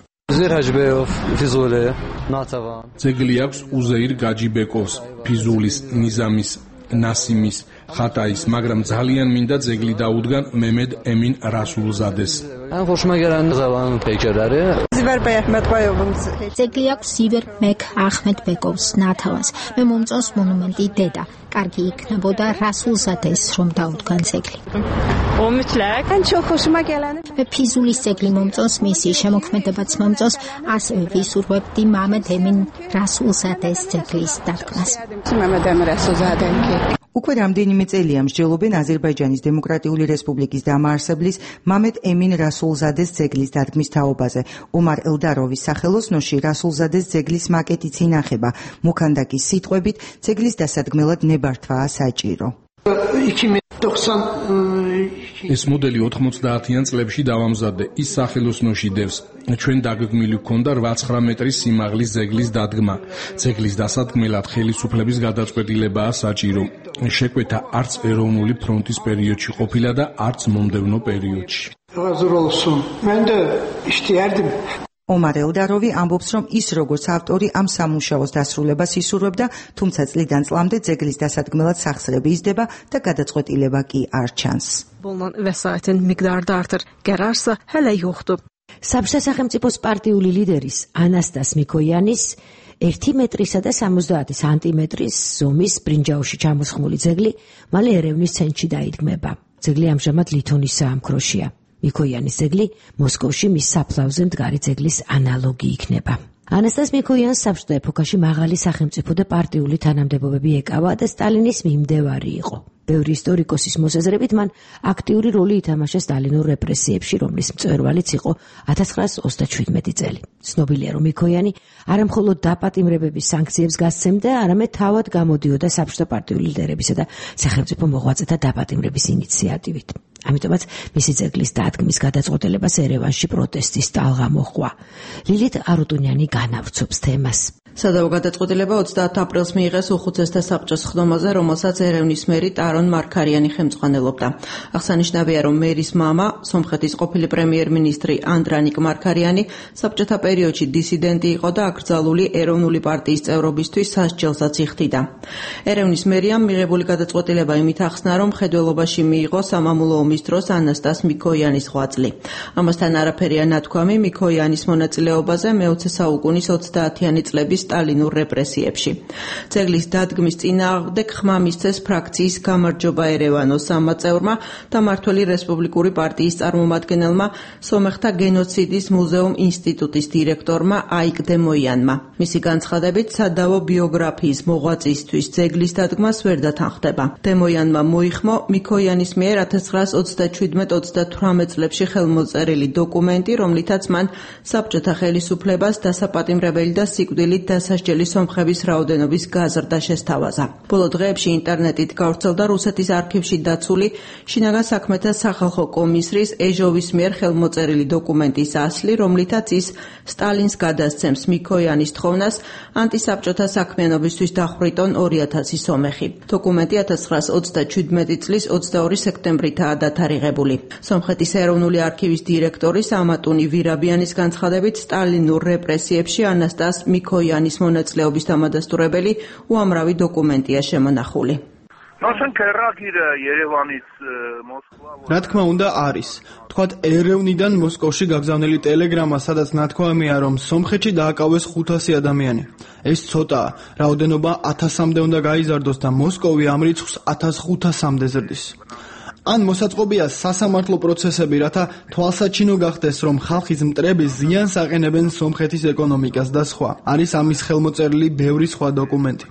ძეგლი აქვს უზეირ გაჯიბეკოვს, ფიზულის, ნიზამის, ნასიმის, ხატაის, მაგრამ ძალიან მინდა ძეგლი დაუდგან მემედ ემინ რასულზადეს. ძეგლი აქვს ზივერ მეკ ახმედ ბეკოვს ნათავას. მე მომწონს მონუმენტი დედა. კარგი იქნებოდა რასულზადეს რომ დაუდგან ძეგლი. მე ფიზულის ძეგლი მომწონს, მისი შემოქმედებაც მომწონს, ასევე ვისურვებდი მამედ ემინ რასულზადეს ძეგლის დადგმას. უკვე რამდენიმე წელია მსჯელობენ აზერბაიჯანის დემოკრატიული რესპუბლიკის დამაარსებლის მამედ ემინ რასულზადეს ძეგლის დადგმის თაობაზე. ომარ ელდაროვის სახელოსნოში რასულზადეს ძეგლის მაკეტიც ინახება. მუქანდაკის სიტყვებით, ძეგლის დასადგმელად ნებართვაა საჭირო. ეს მოდელი 90-იან წლებში დავამზადე. ის სახელოსნოში დევს. ჩვენ დაგეგმილი ჰქონდა 8-9 მეტრის სიმაღლის ძეგლის დადგმა. ძეგლის დასადგმელად ხელისუფლების გადაწყვეტილებაა საჭირო. შეკვეთა არც ეროვნული ფრონტის პერიოდში ყოფილა და არც მომდევნო პერიოდში. ომარ ელდაროვი ამბობს, რომ ის როგორც ავტორი ამ სამუშაოს დასრულებას ისურვებდა, თუმცა წლიდან წლამდე ძეგლის დასადგმელად სახსრები იზრდება და გადაწყვეტილება კი არ ჩანს. საბჭოთა სახელმწიფოს პარტიული ლიდერის ანასტას მიკოიანის 1 მეტრისა და 70 სანტიმეტრის ზომის ბრინჯაოში ჩამოსხმული ძეგლი მალე ერევნის ცენტრში დაიდგმება. ძეგლი ამჟამად ლითონის საამქროშია. მიკოიანის ძეგლი მოსკოვში მის საფლავზე მდგარი ძეგლის ანალოგი იქნება. ანასტას მიკოიანს საბჭოთა ეპოქაში მაღალი სახელმწიფო და პარტიული თანამდებობები ეკავა და სტალინის მიმდევარი იყო. ბევრი ისტორიკოსის მოსაზრებით მან აქტიური როლი ითამაშა სტალინურ რეპრესიებში, რომლის მწვერვალიც იყო 1927 წელი. ცნობილია, რომ მიკოიანი არა მხოლოდ დაპატიმრებების სანქციებს გასცემდა, არამედ თავად გამოდიოდა საბჭოთა პარტიული ლიდერებისა და სახელმწიფო მოღვაწეთა დაპატიმრების ინიციატივით. ამიტომაც მისი ძეგლის დადგმის გადაწყვეტილებას ერევანში პროტესტის ტალღა მოჰყვა. ლილით არუტუნიანი განავრცობს თემას. სადავო გადაწყვეტილება 30 აპრილს მიიღეს უხუცესთა საბჭოს ხდომაზე, რომელსაც ერევნის მერი ტარონ მარქარიანი ხელმძღვანელობდა. აღსანიშნავია, რომ მერის მამა, სომხეთის ყოფილი პრემიერ-მინისტრი ანდრანიკ მარქარიანი, საბჭოთა პერიოდში დისიდენტი იყო და აკრძალული ეროვნული პარტიის წევრობისთვის სასჯელსაც იხდიდა. ერევნის მერიამ მიღებული გადაწყვეტილება იმით ახსნა, რომ მხედველობაში მიიღო სამამულო ომის დროს ანასტას მიკოიანის ღვაწლი. ამასთან არაფერია ნათქვამი მიკოიანის მონაწილეობაზე მე-20 საუკუნის 30-იანი წლების სტალინურ რეპრესიებში. ძეგლის დადგმის წინააღმდეგ ხმა მისცეს ფრაქციის გამარჯობა ერევანოს სამაწევრმა და მმართველი რესპუბლიკური პარტიის წარმომადგენელმა, სომეხთა გენოციდის მუზეუმ ინსტიტუტის დირექტორმა აიკ დემოიანმა. მისი განცხადებით, სადავო ბიოგრაფიის მოღვაწისთვის ძეგლის დადგმას ვერ დათანხმდება. დემოიანმა მოიხმო მიკოიანის მიერ 1927-38 წლებში ხელმოწერილი დოკუმენტი, რომლითაც მან საბჭოთა ხელისუფლებას დასაპატიმრებელი და სიკვდილით დასასჯელი სომხების რაოდენობის გაზრდა შესთავაზა. ბოლო დღეებში ინტერნეტით გავრცელდა რუსეთის არქივში დაცული შინაგან საქმეთა სახალხო კომისრის ეჟოვის მიერ ხელმოწერილი დოკუმენტის ასლი, რომლითაც ის სტალინს გადასცემს მიკოიანის თხოვნას ანტისაბჭოთა საქმიანობისთვის დახვრიტონ 2000 სომეხი. დოკუმენტი 1927 წლის 22 სექტემბრითაა დათარიღებული. სომხეთის ეროვნული არქივის დირექტორის ამატუნი ვირაბიანის განცხადებით, სტალინურ რეპრესიებში ანასტას მიკოიანის მონაწილეობის დამადასტურებელი უამრავი დოკუმენტია შემონახული. რა თქმა უნდა არის. თქვათ ერევნიდან მოსკოვში გაგზავნილი ტელეგრამა, სადაც ნათქვამია, რომ სომხეთში დააკავეს 500 ადამიანი. ეს ცოტაა, რაოდენობა 1000-მდე უნდა გაიზარდოს და მოსკოვი ამ რიცხვს 1500-მდე ზრდის. ან მოსაწყობია სასამართლო პროცესები, რათა თვალსაჩინო გახდეს, რომ ხალხის მტრები ზიანს აყენებენ სომხეთის ეკონომიკას და სხვა. არის ამის ხელმოწერილი ბევრი სხვა დოკუმენტი.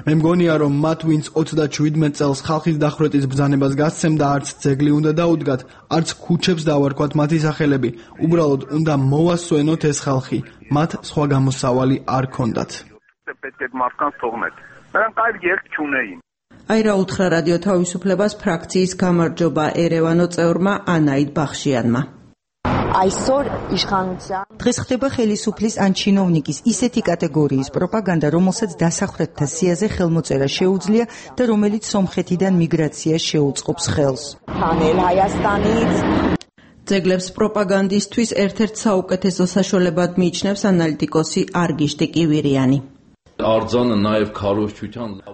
მე მგონია, რომ მათ, ვინც 37 წელს ხალხის დახვრეტის ბრძანებას გასცემდა, არც ძეგლი უნდა დაუდგათ, არც ქუჩებს დავარქვათ მათი სახელები. უბრალოდ უნდა მოვასწვენოთ ეს ხალხი. მათ სხვა გამოსავალი არ ქონდათ. აირა უთხრა რადიო თავისუფლებას ფრაქციის გამარჯობა ერევანო წევრმა ანაიდ ბახშიანმა. დღეს ხდება ხელისუფლის ან ჩინოვნიკის ისეთი კატეგორიის პროპაგანდა, რომელსაც დასახვრეტთა სიაზე ხელმოწერა შეუძლია და რომელიც სომხეთიდან მიგრაციას შეუწყობს ხელს. ძეგლებს პროპაგანდისთვის ერთ-ერთ საუკეთესო საშუალებად მიიჩნევს ანალიტიკოსი არგიშტი კივირიანი.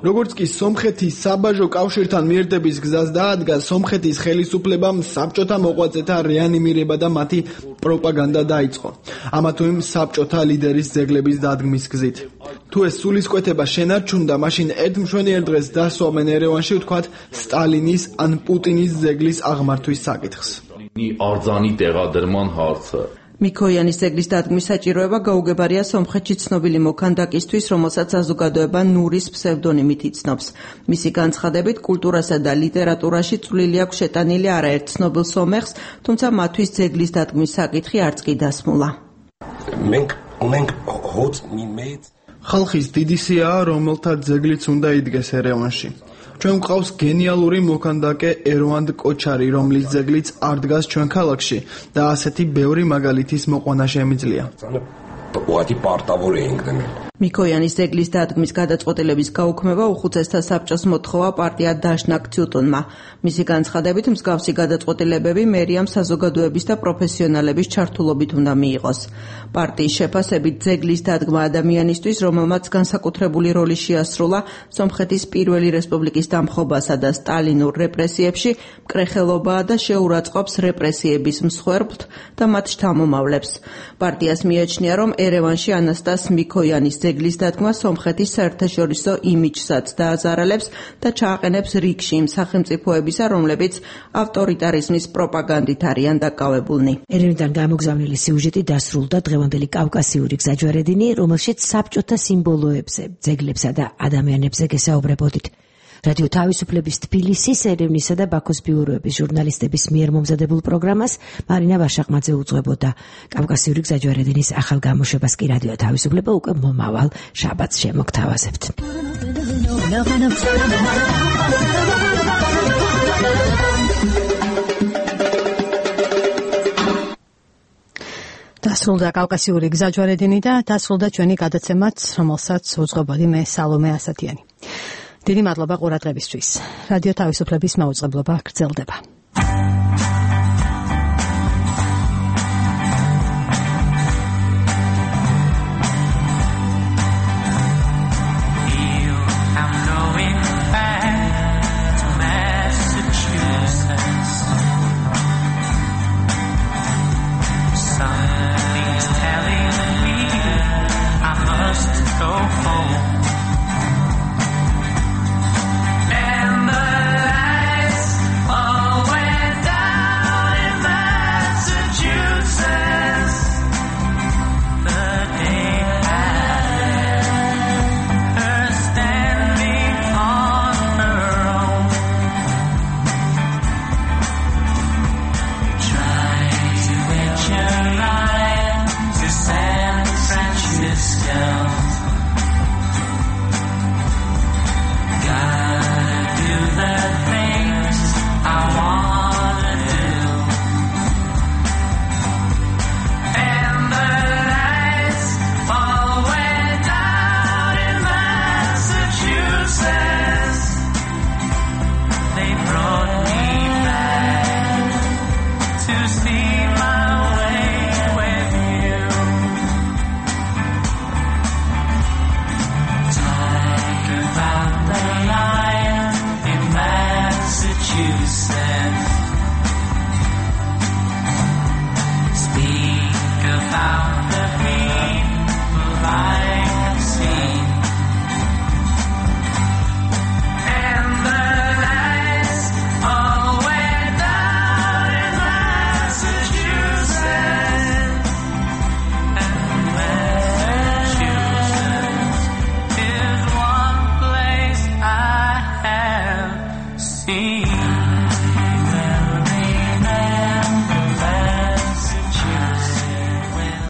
როგორც კი სომხეთის საბაჟო კავშირთან მიერდების გზას დაადგა, სომხეთის ხელისუფლებამ საბჭოთა მოღვაწეთა რეანიმირება და მათი პროპაგანდა დაიწყო. ამა თუ იმ საბჭოთა ლიდერის ძეგლების დადგმის გზით. თუ ეს სულისკვეთება შენარჩუნდა, მაშინ ერთ მშვენიერ დღეს დასვამენ ერევანში, ვთქვათ, სტალინის ან პუტინის ძეგლის აღმართვის საკითხს. მიქოიანის ძეგლის დადგმის საჭიროება გაუგებარია სომხეთში ცნობილი მოქანდაკისთვის, რომელსაც საზოგადოება ნურის ფსევდონიმით იცნობს. მისი განცხადებით, კულტურასა და ლიტერატურაში წვლილი აქვს შეტანილი არაერთ ცნობილ სომეხს, თუმცა მათთვის ძეგლის დადგმის საკითხი არც კი დასმულა. ხალხის დიდი სიაა, რომელთა ძეგლიც უნდა იდგეს ერევანში. ჩვენ გვყავს გენიალური მოქანდაკე ერვანდ კოჩარი, რომლის ძეგლიც არ დგას ჩვენ ქალაქში და ასეთი ბევრი მაგალითის მოყვანა შემიძლია. მიქოიანის ძეგლის დადგმის გადაწყვეტილების გაუქმება უხუცესთა საბჭოს მოთხოვა პარტია დაშნაკ ცუტუნმა. მისი განცხადებით, მსგავსი გადაწყვეტილებები მერიამ საზოგადოების და პროფესიონალების ჩართულობით უნდა მიიღოს. პარტიის შეფასებით ძეგლის დადგმა ადამიანისთვის, რომელმაც განსაკუთრებული როლი შეასრულა სომხეთის პირველი რესპუბლიკის დამხობასა და სტალინურ რეპრესიებში, მკრეხელობაა და შეურაცხყოფს რეპრესიების მსხვერპლთ და მათ შთამომავლებს. პარტიას მიაჩნია, რომ ერევანში ანასტას მიქოიანის ძეგლის დადგმა სომხეთის საერთაშორისო იმიჯსაც დააზარალებს და ჩააყენებს რიგში იმ სახელმწიფოებისა, რომლებიც ავტორიტარიზმის პროპაგანდით არიან დაკავებულნი. ერევნიდან გამოგზავნილი სიუჟეტი დასრულდა დღევანდელი კავკასიური გზაჯვარედინი, რომელშიც საბჭოთა სიმბოლოებზე, ძეგლებსა და ადამიანებზე გესაუბრებოდით. რადიო თავისუფლების თბილისის, ერევნისა და ბაქოს ბიუროების ჟურნალისტების მიერ მომზადებულ პროგრამას მარინა ვაშაყმაძე უძღვებოდა. კავკასიური გზაჯვარედინის ახალ გამოშვებას კი რადიო თავისუფლება უკვე მომავალ შაბათს შემოგთავაზებთ. დასრულდა კავკასიური გზაჯვარედინი და დასრულდა ჩვენი გადაცემაც, რომელსაც უძღვებოდი მე სალომე ასათიანი. დიდი მადლობა ყურადღებისთვის. რადიო თავისუფლების მაუწყებლობა გრძელდება.